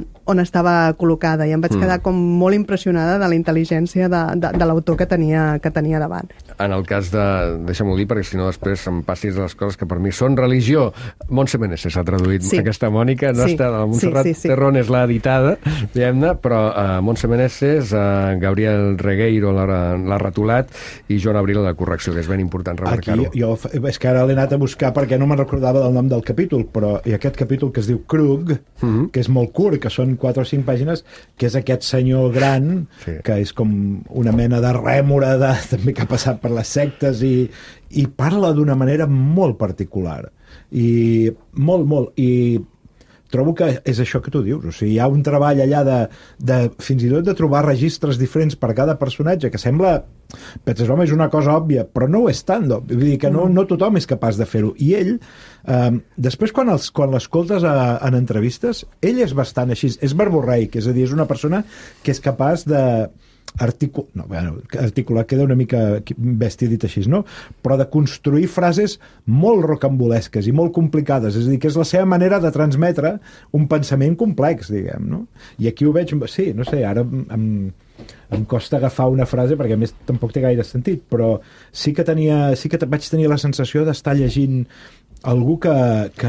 [SPEAKER 4] col·locada, i em vaig quedar com molt impressionada de la intel·ligència de l'autor que tenia davant.
[SPEAKER 1] En el cas de... Deixa'm-ho dir, perquè si no després em passis les coses que per mi són religió. Montse Meneses s'ha traduït aquesta Mònica, no està... La Montserrat Terrón és l'editada, diguem-ne, però Montse Meneses, Gabriel Regueiro l'ha retolat, i Joan Abril la correcció, que és ben important remarcar-ho.
[SPEAKER 5] És que ara l'he anat a buscar perquè no me'n recordava del nom del capítol, però hi ha aquest capítol que es diu Krug, que és molt curt, que són 4 o 5 pàgines, que és aquest senyor gran, que és com una mena de rèmora també que ha passat per les sectes, i parla d'una manera molt particular, i molt, i trobo que és això que tu dius, o sigui, hi ha un treball allà de fins i tot de trobar registres diferents per cada personatge, que sembla, penses, home, és una cosa òbvia, però no ho és tant, vull dir que no tothom és capaç de fer-ho, i ell, després quan l'escoltes en entrevistes, ell és bastant així, és verborreic, és a dir, és una persona que és capaç de articular queda una mica bèstia dit així, no? Però de construir frases molt rocambolesques i molt complicades, és a dir, que és la seva manera de transmetre un pensament complex, diguem, no? I aquí ho veig, sí, no sé, ara em costa agafar una frase perquè a més tampoc té gaire sentit, però sí que vaig tenir la sensació d'estar llegint algú que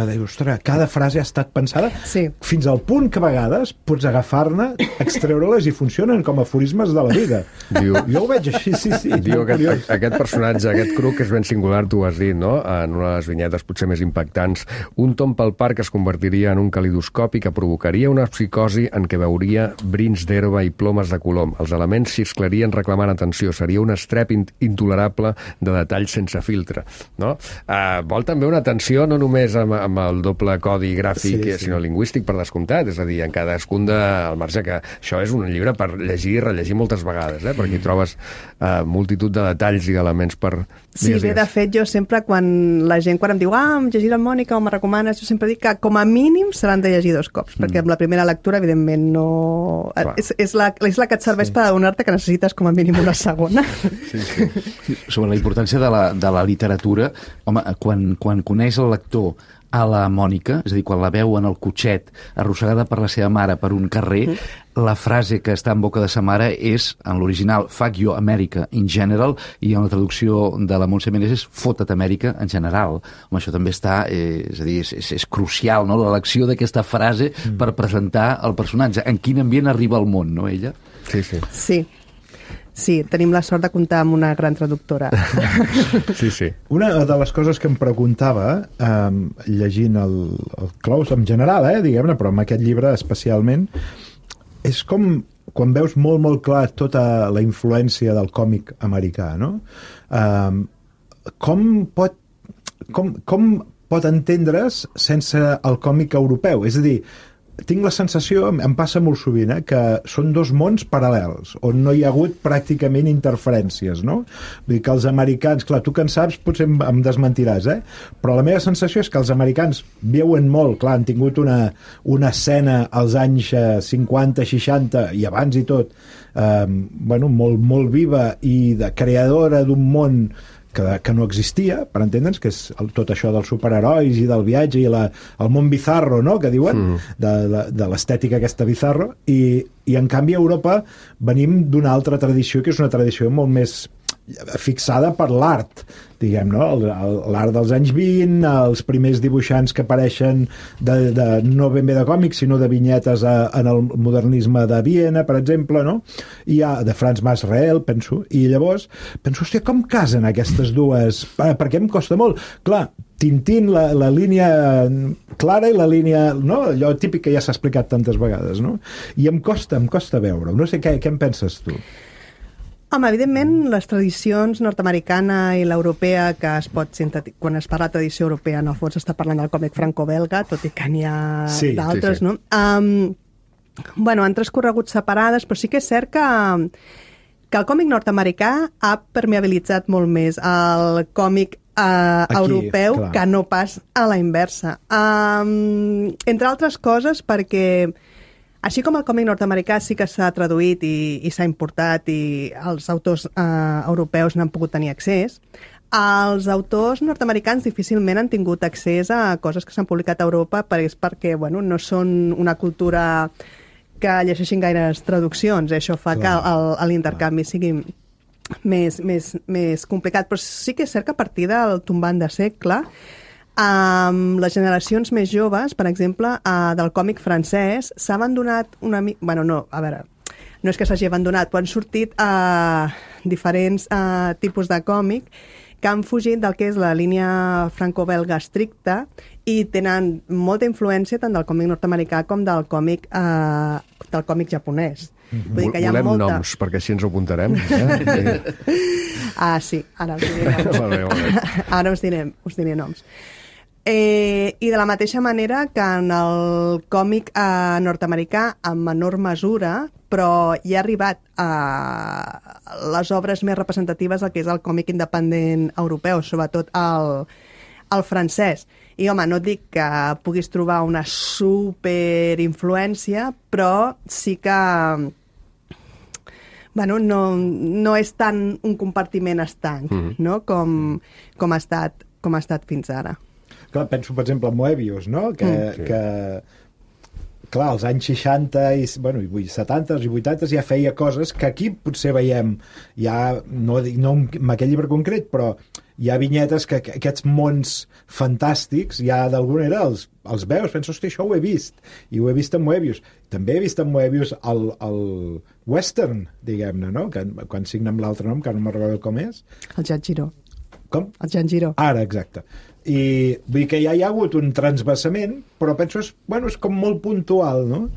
[SPEAKER 5] diu, ostres, cada frase ha estat pensada
[SPEAKER 4] Sí.
[SPEAKER 5] fins al punt que a vegades pots agafar-ne, extreure-les i funcionen com aforismes de la vida.
[SPEAKER 1] Diu-
[SPEAKER 5] Jo ho veig així, sí.
[SPEAKER 1] Diu
[SPEAKER 5] molt curiós.
[SPEAKER 1] aquest personatge, aquest Crook, és ben singular, tu ho has dit, no? En una de les vinyetes potser més impactants. Un tom pel parc es convertiria en un calidoscopi que provocaria una psicosi en què veuria brins d'herba i plomes de colom. Els elements xisclarien reclamant atenció. Seria un estrep intolerable de detalls sense filtre. No? Vol també una atenció no només amb el doble codi gràfic,
[SPEAKER 5] Sí.
[SPEAKER 1] sinó lingüístic, per descomptat. És a dir, en cadascun al marge que això és un llibre per llegir i rellegir moltes vegades, perquè hi trobes multitud de detalls i d'elements per...
[SPEAKER 4] Sí, bé, de fet, jo sempre, quan la gent em diu em llegiré el Mònica o me recomanes, jo sempre dic que com a mínim s'han de llegir 2 cops, perquè amb la primera lectura, evidentment, no... És la que et serveix per adonar-te que necessites com a mínim una segona.
[SPEAKER 6] Sobre la importància de la literatura, home, quan coneix el lector a la Mònica, és a dir, quan la veu en el cotxet arrossegada per la seva mare per un carrer, la frase que està en boca de sa mare és, en l'original, fuck you America in general, i en la traducció de la Montse Menés és fota't Amèrica en general. Home, això també està, és a dir, és crucial, no?, l'elecció d'aquesta frase per presentar el personatge. En quin ambient arriba al món, no, ella?
[SPEAKER 1] Sí.
[SPEAKER 4] Sí, tenim la sort de comptar amb una gran traductora.
[SPEAKER 1] Sí.
[SPEAKER 5] Una de les coses que em preguntava, llegint el Klaus en general, diguem-ne, però amb aquest llibre especialment, és com quan veus molt clar tota la influència del còmic americà, no? Com pot entendre's sense el còmic europeu? És a dir, tinc la sensació, em passa molt sovint, que són 2 mons paral·lels, on no hi ha hagut pràcticament interferències, no? Vull dir que els americans, clar, tu que en saps potser em desmentiràs, però la meva sensació és que els americans viuen molt, clar, han tingut una escena als anys 50, 60 i abans i tot, molt viva i de creadora d'un món que no existia, per entendre'ns, que és tot això dels superherois i del viatge i el món bizarro, no?, que diuen, de l'estètica aquesta bizarro, i en canvi a Europa venim d'una altra tradició, que és una tradició molt més fixada per l'art, diguem, no? L'art dels anys 20, els primers dibuixants que apareixen no ben bé de còmics, sinó de vinyetes en el modernisme de Viena, per exemple, no? I de Franz Masreel, penso, i llavors penso, hòstia, com casen aquestes dues? Perquè em costa molt. Clar, Tintín, la línia clara i la línia, no? Allò típic que ja s'ha explicat tantes vegades, no? I em costa veure-ho. No sé què en penses tu?
[SPEAKER 4] Home, evidentment, les tradicions nord-americana i l'europea, que es pot sintetitzar, quan es parla de tradició europea, en el fons està parlant del còmic franco-belga, tot i que n'hi ha d'altres, no? Han transcorregut separades, però sí que és cert que el còmic nord-americà ha permeabilitzat molt més el còmic europeu, clar, que no pas a la inversa. Entre altres coses, perquè així com el còmic nord-americà sí que s'ha traduït i s'ha importat i els autors europeus n'han pogut tenir accés, els autors nord-americans difícilment han tingut accés a coses que s'han publicat a Europa perquè no són una cultura que llegeixin gaires traduccions. Això fa que l'intercanvi sigui més complicat. Però sí que és cert que a partir del tombant de segle, les generacions més joves, per exemple, del còmic francès, s'ha abandonat una mica... No és que s'hagi abandonat, però han sortit diferents tipus de còmic que han fugit del que és la línia franco-belga estricta i tenen molta influència tant del còmic nord-americà com del còmic japonès.
[SPEAKER 1] Volem noms, perquè així ens ho apuntarem.
[SPEAKER 4] Sí, ara us diré noms. Ara us diré noms. I de la mateixa manera que en el còmic nord-americà, en menor mesura, però hi ha arribat a les obres més representatives del que és el còmic independent europeu, sobretot el francès. I, home, no et dic que puguis trobar una superinfluència, però sí que no és tant un compartiment estanc, no? com ha estat fins ara.
[SPEAKER 5] Clar, penso, per exemple, en Moebius, no? Que clar, als anys 60 i 70 i 80 ja feia coses que aquí potser veiem ja, no amb aquell llibre concret, però hi ha vinyetes que aquests mons fantàstics ja d'alguna manera els veus, penso, hosti, això ho he vist, i ho he vist en Moebius. També he vist en Moebius el western, diguem-ne, no? Quan signa amb l'altre nom, que no me'n recordo com és.
[SPEAKER 4] El Jan Giró.
[SPEAKER 5] Com?
[SPEAKER 4] El Jan Giró.
[SPEAKER 5] Ara, exacte. I vull dir que ja hi ha hagut un transvasament, però penso és com molt puntual, no?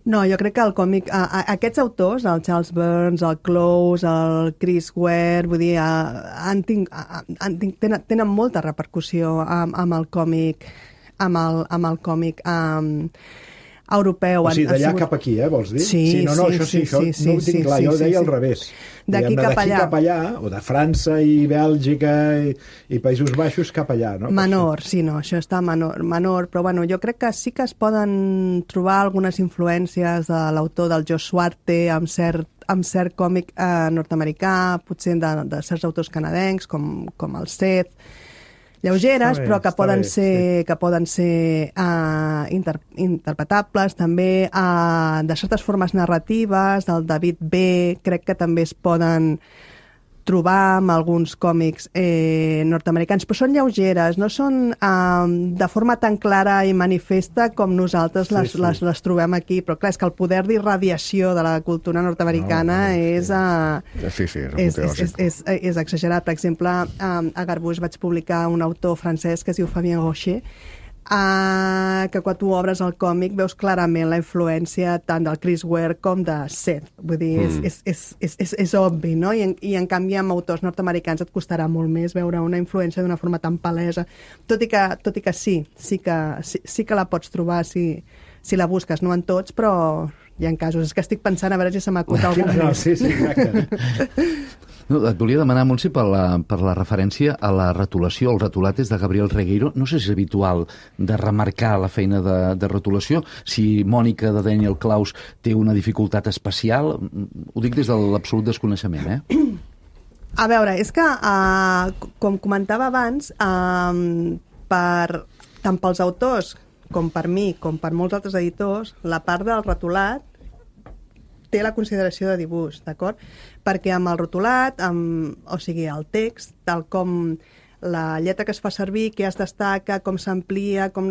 [SPEAKER 4] No, jo crec que el còmic... Aquests autors, el Charles Burns, el Close, el Chris Ware, vull dir, tenen molta repercussió amb el còmic europeu.
[SPEAKER 5] O sigui, d'allà cap aquí, vols dir?
[SPEAKER 4] Sí,
[SPEAKER 5] no, això no ho tinc clar, jo ho deia al revés.
[SPEAKER 4] D'aquí cap allà,
[SPEAKER 5] o de França i Bèlgica i Països Baixos cap allà, no?
[SPEAKER 4] Menor, sí, no, això està menor, però bueno, jo crec que sí que es poden trobar algunes influències de l'autor del Joe Swarte amb cert còmic nord-americà, potser de certs autors canadencs, com el Seth, lleugeres, però que poden ser interpretables, també de certes formes narratives, del David B. Crec que també es poden trobar amb alguns còmics nord-americans, però són lleugeres, no són de forma tan clara i manifesta com nosaltres les trobem aquí, però clar, és que el poder d'irradiació de la cultura nord-americana és exagerat. Per exemple, a Garbus vaig publicar un autor francès que es diu Fabien Rocher, que quan tu obres el còmic veus clarament la influència tant del Chris Ware com de Seth. Vull dir, és obvi, no? I en canvi amb autors nord-americans et costarà molt més veure una influència d'una forma tan palesa. Tot i que sí que la pots trobar si la busques, no en tots, però hi ha casos. És que estic pensant a veure si se m'acut algun més.
[SPEAKER 5] Sí, exacte.
[SPEAKER 6] No, et volia demanar, Montse, per la referència a la retolació. El retolat és de Gabriel Regueiro. No sé si és habitual de remarcar la feina de retolació. Si Mònica de Daniel Klaus té una dificultat especial, ho dic des de l'absolut desconeixement,
[SPEAKER 4] A veure, és que, com comentava abans, tant pels autors com per mi, com per molts altres editors, la part del retolat té la consideració de dibuix, d'acord? Perquè amb el rotulat, o sigui, el text, tal com la lletra que es fa servir, què es destaca, com s'amplia, com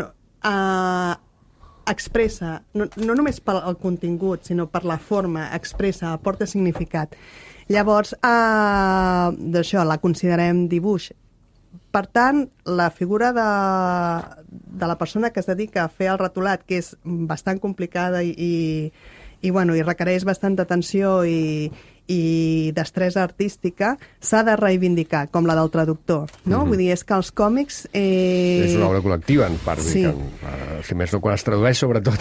[SPEAKER 4] expressa, no només pel contingut, sinó per la forma, expressa, aporta significat. Llavors, d'això, la considerem dibuix. Per tant, la figura de la persona que es dedica a fer el retolat, que és bastant complicada i requereix bastanta atenció i destresa artística, s'ha de reivindicar, com la del traductor, no? Vull dir, és que els còmics...
[SPEAKER 1] És una obra col·lectiva, en part,
[SPEAKER 4] sí.
[SPEAKER 1] Si més no quan es tradueix, sobretot.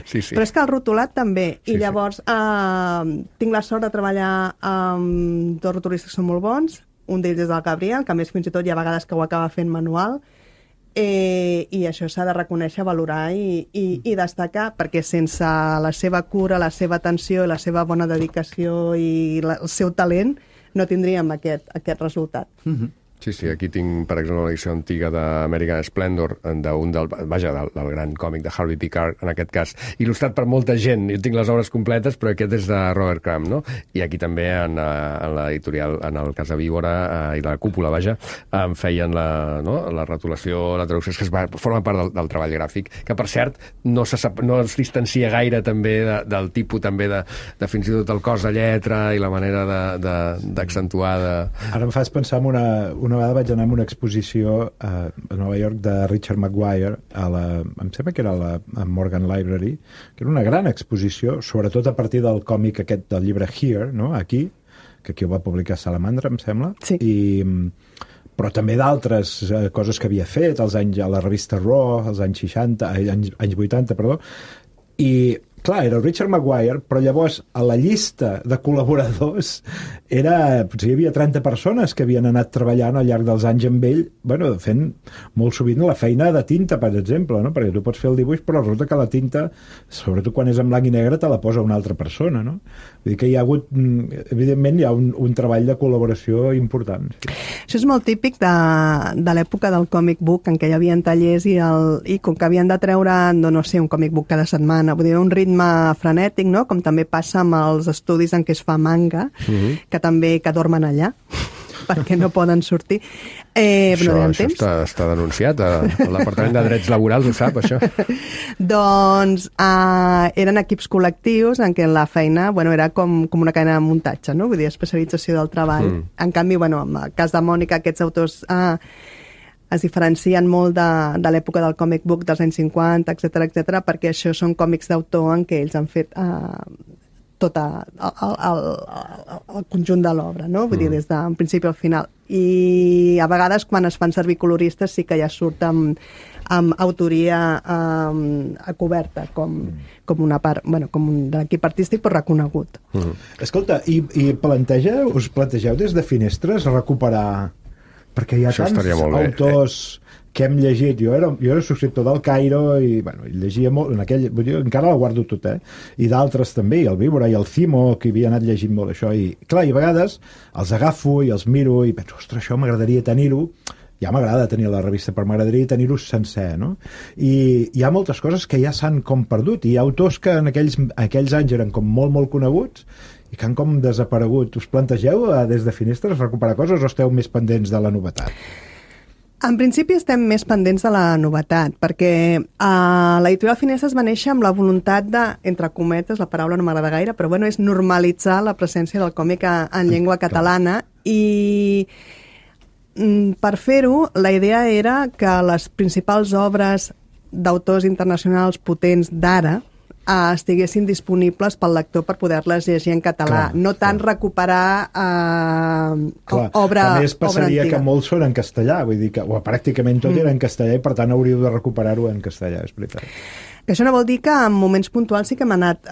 [SPEAKER 1] Sí.
[SPEAKER 4] Però és que el rotulat també, i llavors tinc la sort de treballar amb dos rotulistes que són molt bons, un d'ells és el Gabriel, que a més fins i tot hi ha vegades que ho acaba fent manual, i això s'ha de reconèixer, valorar i destacar, perquè sense la seva cura, la seva atenció, la seva bona dedicació i el seu talent no tindríem aquest resultat.
[SPEAKER 1] Sí, aquí tinc, per exemple, una edició antiga d'American Splendor, del gran còmic de Harvey Picard, en aquest cas, il·lustrat per molta gent. Jo tinc les obres completes, però aquest és de Robert Crumb, no? I aquí també, en l'editorial, en el Casa Víbora i la Cúpula, em feien la retolació, la traducció, que forma part del treball gràfic, que, per cert, no es distancia gaire també del tipus també de fins i tot el cos de lletra i la manera d'accentuar.
[SPEAKER 5] Ara em fas pensar en una vegada vaig anar a una exposició a Nova York de Richard Maguire, em sembla que era a Morgan Library, que era una gran exposició, sobretot a partir del còmic aquest del llibre Here, no? Aquí, que aquí ho va publicar Salamandra, em sembla,
[SPEAKER 4] sí.
[SPEAKER 5] Però també d'altres coses que havia fet a la revista Raw, als anys 80, anys 80, perdó, i Clar, era el Richard Maguire, però llavors a la llista de col·laboradors potser hi havia 30 persones que havien anat treballant al llarg dels anys amb ell, bueno, fent molt sovint la feina de tinta, per exemple, no? Perquè tu pots fer el dibuix, però resulta que la tinta, sobretot quan és en blanc i negre, te la posa una altra persona, no? Vull dir que hi ha hagut, evidentment, hi ha un treball de col·laboració important. Sí.
[SPEAKER 4] Això és molt típic de l'època del comic book, en què hi havia tallers i com que havien de treure, no sé, un comic book cada setmana, vull dir, un ritme frenètic, no? Com també passa amb els estudis en què es fa manga, que també que dormen allà, perquè no poden sortir.
[SPEAKER 1] Això està denunciat, l'Apartament de Drets Laborals ho sap, això.
[SPEAKER 4] Doncs eren equips col·lectius en què la feina era com una cadena de muntatge, no? Vull dir, especialització del treball. En canvi, en el cas de Mònica, aquests autors es diferencien molt de l'època del comic book dels anys 50, etc, perquè això són còmics d'autor en què ells han fet tot el conjunt de l'obra, no? Vull dir, des d'un principi al final. I a vegades, quan es fan servir coloristes, sí que ja surt amb autoria coberta, com una part, com un de l'equip artístic, però reconegut.
[SPEAKER 5] Escolta, i us plantegeu des de Finestres recuperar... Perquè hi ha tants autors que hem llegit. Jo era subscriptor del Cairo i llegia molt, encara la guardo tot, i d'altres també, i el Víbora i el Cimo, que havia anat llegint molt això, i clar, i a vegades els agafo i els miro i penso, ostres, això m'agradaria tenir-ho. Ja m'agrada tenir la revista, però m'agradaria tenir-ho sencer, no? I hi ha moltes coses que ja s'han com perdut, i hi ha autors que en aquells anys eren com molt, molt coneguts i que han com desaparegut. Us plantegeu des de Finestres recuperar coses o esteu més pendents de la novetat?
[SPEAKER 4] En principi estem més pendents de la novetat, perquè l'editorial Finestres va néixer amb la voluntat de, entre cometes, la paraula no m'agrada gaire, però és normalitzar la presència del còmic en llengua catalana, i per fer-ho, la idea era que les principals obres d'autors internacionals potents d'ara estiguessin disponibles pel lector per poder-les llegir en català. No tant recuperar obra antiga.
[SPEAKER 5] A més, passaria que molts són en castellà, vull dir que pràcticament tot era en castellà i per tant hauríeu de recuperar-ho en castellà, és veritat.
[SPEAKER 4] Que això no vol dir que en moments puntuals sí que hem anat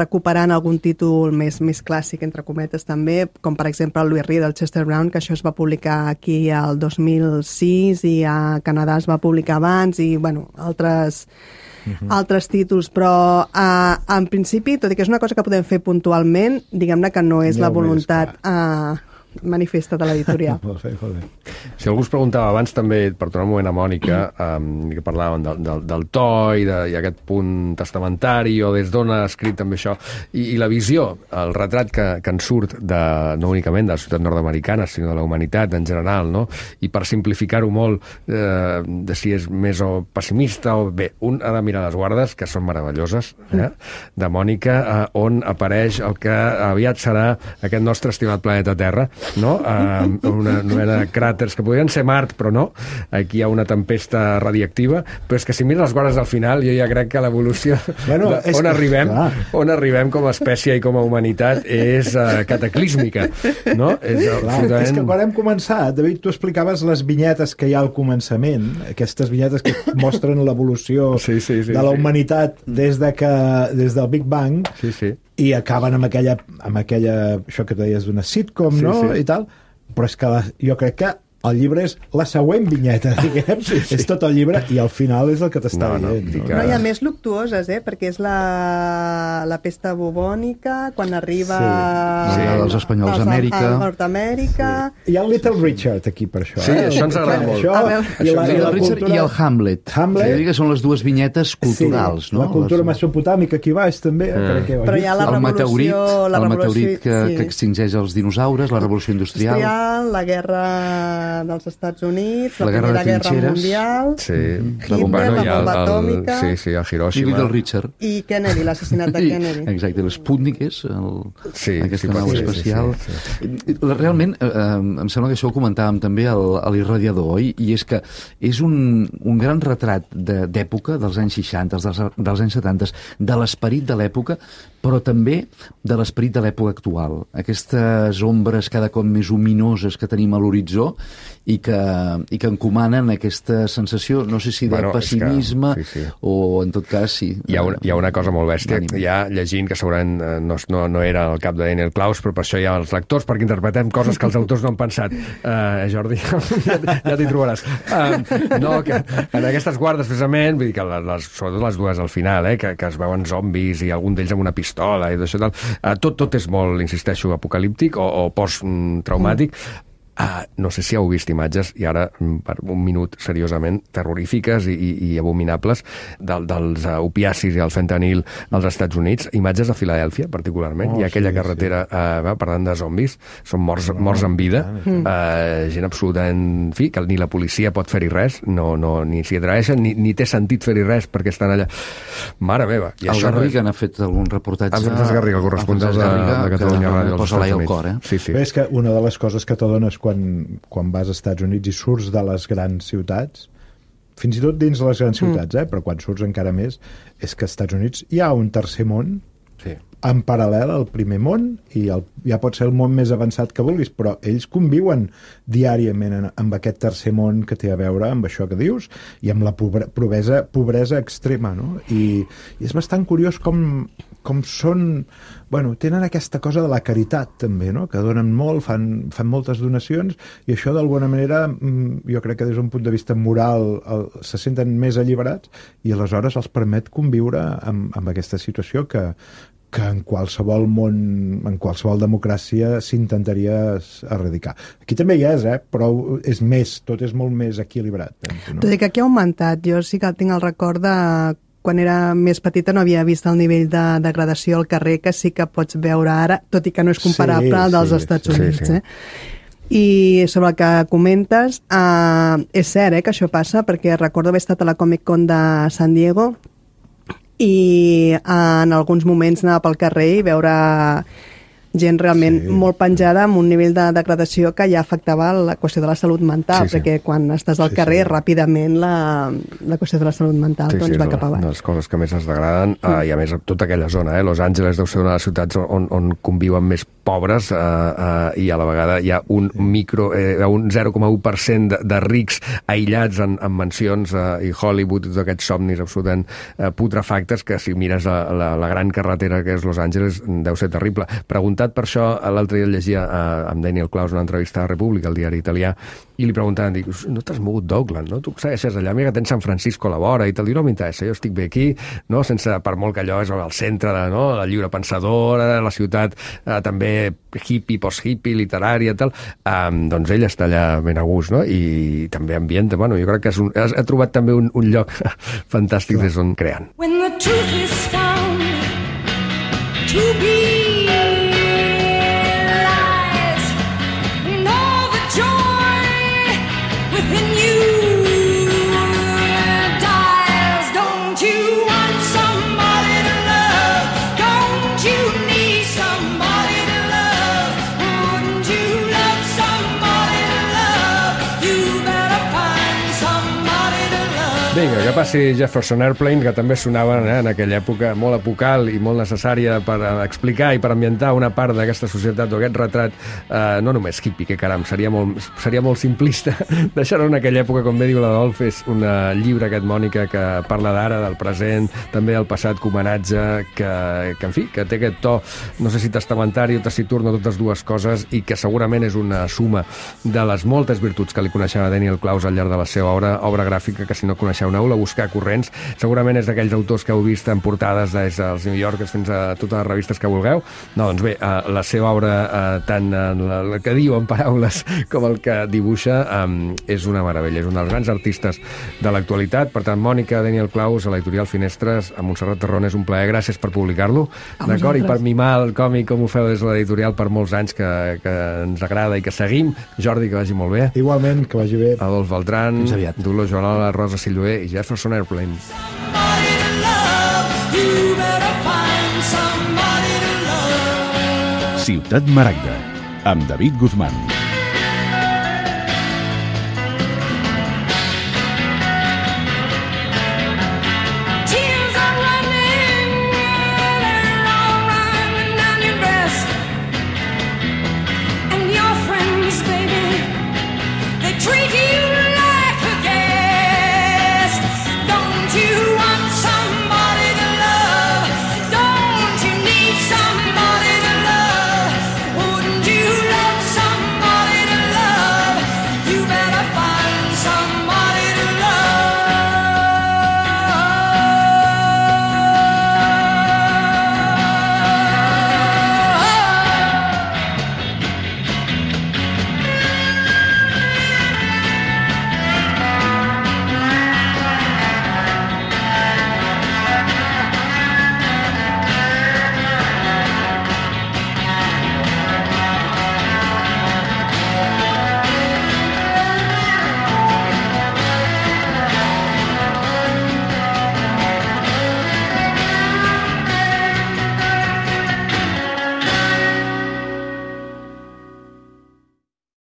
[SPEAKER 4] recuperant algun títol més clàssic, entre cometes, també, com per exemple el Louis Rie del Chester Brown, que això es va publicar aquí el 2006 i a Canadà es va publicar abans, i altres títols, però en principi, tot i que és una cosa que podem fer puntualment, diguem-ne que no és la voluntat manifesta de l'editorial.
[SPEAKER 5] Molt bé.
[SPEAKER 1] Si algú es preguntava abans també, per tornar un moment a Mònica, que parlàvem del to i aquest punt testamentari, o des d'on ha escrit també això, i la visió, el retrat que en surt no únicament de la ciutat nord-americana, sinó de la humanitat en general, no? I per simplificar-ho molt, de si és més o pessimista o bé, un ha de mirar les guardes, que són meravelloses, de Mònica, on apareix el que aviat serà aquest nostre estimat planeta Terra, no? Una mena de cràters que podrien ser Mart, però no. Aquí hi ha una tempesta radiactiva, però és que si mires les guardes al final, jo ja crec que l'evolució on arribem com a espècie i com a humanitat és cataclísmica, no?
[SPEAKER 5] És que quan hem començat, David, tu explicaves les vinyetes que hi ha al començament, aquestes vinyetes que mostren l'evolució de la humanitat des del Big Bang, i acaben amb aquella, això que deies d'una sitcom, no? I tal, però és que jo crec que el llibre és la següent vinyeta, diguem. És tot el llibre i al final és el que t'està dient.
[SPEAKER 4] No, hi ha més luctuoses, perquè és la pesta bubònica, quan arriba
[SPEAKER 6] els espanyols a Amèrica.
[SPEAKER 4] A Nord-Amèrica.
[SPEAKER 5] Hi ha el Little Richard aquí per això.
[SPEAKER 1] Sí, això ens agrada molt.
[SPEAKER 6] El Richard i el Hamlet. Que són les dues vinyetes culturals.
[SPEAKER 5] La cultura mesopotàmica aquí baix, també.
[SPEAKER 4] Però hi ha la revolució...
[SPEAKER 6] El meteorit que extingeix els dinosaures, la revolució industrial.
[SPEAKER 4] La guerra dels Estats Units, la Primera Guerra Mundial, Hitler, la bomba atòmica,
[SPEAKER 1] a Hiroshima,
[SPEAKER 6] del Richard.
[SPEAKER 4] I Kennedy, l'assassinat de Kennedy.
[SPEAKER 6] Exacte, l'Sputnik és aquesta nau espacial. Realment, em sembla que això ho comentàvem també a l'Irradiador, i és que és un gran retrat d'època dels anys 60, dels anys 70, de l'esperit de l'època, però també de l'esperit de l'època actual. Aquestes ombres cada cop més ominoses que tenim a l'horitzó, i que encomanen aquesta sensació, no sé si de pessimisme o en tot cas sí.
[SPEAKER 1] Hi ha una cosa molt bèstia, ja llegint, que segurament no era el cap de Daniel Klaus, però per això hi ha els lectors, perquè interpretem coses que els autors no han pensat. Jordi, ja t'hi trobaràs. No, que en aquestes guardes, precisament, vull dir que sobretot les dues al final, que es veuen zombis i algun d'ells amb una pistola i d'això tal, tot és molt, insisteixo, apocalíptic o post-traumàtic. No sé si heu vist imatges, i ara per un minut seriosament, terrorífiques i abominables dels opiacis i el fentanil als Estats Units, imatges de Filadèlfia particularment, i aquella carretera parlant de zombis, són morts en vida, gent absolutament, en fi, que ni la policia pot fer-hi res, ni s'hi atreveixen, ni té sentit fer-hi res perquè estan allà. Mare meva.
[SPEAKER 6] El Garriga n'ha fet algun reportatge.
[SPEAKER 1] El Garriga, el corresponsal de Catalunya Ràdio als Estats Units.
[SPEAKER 5] Sí. És que una de les coses que t'adones quan vas als Estats Units i surts de les grans ciutats, fins i tot dins de les grans ciutats, però quan surts encara més, és que als Estats Units hi ha un tercer món en paral·lel al primer món, i ja pot ser el món més avançat que vulguis, però ells conviuen diàriament amb aquest tercer món que té a veure amb això que dius i amb la pobresa extrema, no? I és bastant curiós com són... Bueno, tenen aquesta cosa de la caritat, també, no? Que donen molt, fan moltes donacions, i això, d'alguna manera, jo crec que des d'un punt de vista moral se senten més alliberats, i aleshores els permet conviure amb aquesta situació que en qualsevol món, en qualsevol democràcia s'intentaria erradicar. Aquí també hi és, però és més, tot és molt més equilibrat. Penso, no?
[SPEAKER 4] Tot i que aquí ha augmentat. Jo sí que tinc el record de quan era més petita no havia vist el nivell de degradació al carrer que sí que pots veure ara, tot i que no és comparable al dels Estats Units. I sobre el que comentes, és cert que això passa, perquè recordo haver estat a la Comic Con de San Diego i en alguns moments anar pel carrer i veure gent realment molt penjada amb un nivell de degradació que ja afectava la qüestió de la salut mental, perquè quan estàs al carrer ràpidament la qüestió de la salut mental va cap avall.
[SPEAKER 1] És una de les coses que més es degraden, i a més tota aquella zona, Los Angeles deu ser una de les ciutats on conviuen més pobres, i a la vegada hi ha un 0,1% de rics aïllats en mansions, i Hollywood, tots aquests somnis absolutament putrefactes, que si mires la gran carretera que és Los Angeles deu ser terrible. Preguntat per això, l'altre dia llegia amb Daniel Klaus una entrevista a República, el diari italià, i li preguntaven, dic, no t'has mogut d'Oakland, no? Tu segueixes allà, mira que tens San Francisco a la vora, i te'l diu, no m'interessa, jo estic bé aquí, no? Sense, per molt que allò és al centre de la lliure pensadora, la ciutat també hippie, post-hippie, literària, tal, doncs ell està allà ben a gust, no? I també ambienta, bueno, jo crec que ha trobat també un lloc fantàstic des d'on creant.
[SPEAKER 3] When the truth is found to be within you dies. Don't you want somebody to love? Don't you need somebody to love? Wouldn't you love somebody to love? You better find somebody to love.
[SPEAKER 1] Vinga, que passi Jefferson Airplane, que també sonaven en aquella època molt apocal i molt necessària per explicar i per ambientar una part d'aquesta societat o aquest retrat, no només hippie, que caram, seria molt simplista deixar-ho en aquella època, com bé diu l'Adolf, és un llibre aquest, Mònica, que parla d'ara, del present, també del passat, com homenatge, que en fi, que té aquest to, no sé si testamentari o taciturn, totes dues coses, i que segurament és una suma de les moltes virtuts que li coneixeva Daniel Klaus al llarg de la seva obra gràfica, que si no coneixeu aneu-la a buscar corrents, segurament és d'aquells autors que heu vist en portades des dels New Yorkers fins a totes les revistes que vulgueu. No, doncs bé, la seva obra, tant el que diu en paraules com el que dibuixa, és una meravella, és un dels grans artistes de l'actualitat. Per tant, Mònica, Daniel Klaus, a l'editorial Finestres, a Montserrat Terrón, és un plaer, gràcies per publicar-lo, d'acord? I per mimar el còmic com ho feu des de l'editorial per molts anys, que ens agrada i que seguim. Jordi, que vagi molt bé.
[SPEAKER 5] Igualment, que vagi bé.
[SPEAKER 1] Adolf Beltrán, Dolors Joanola, Rosa Silloé i Jefferson Airplane.
[SPEAKER 3] Somebody to love. You better find somebody to love.
[SPEAKER 2] Ciutat Maragda, amb David Guzmán.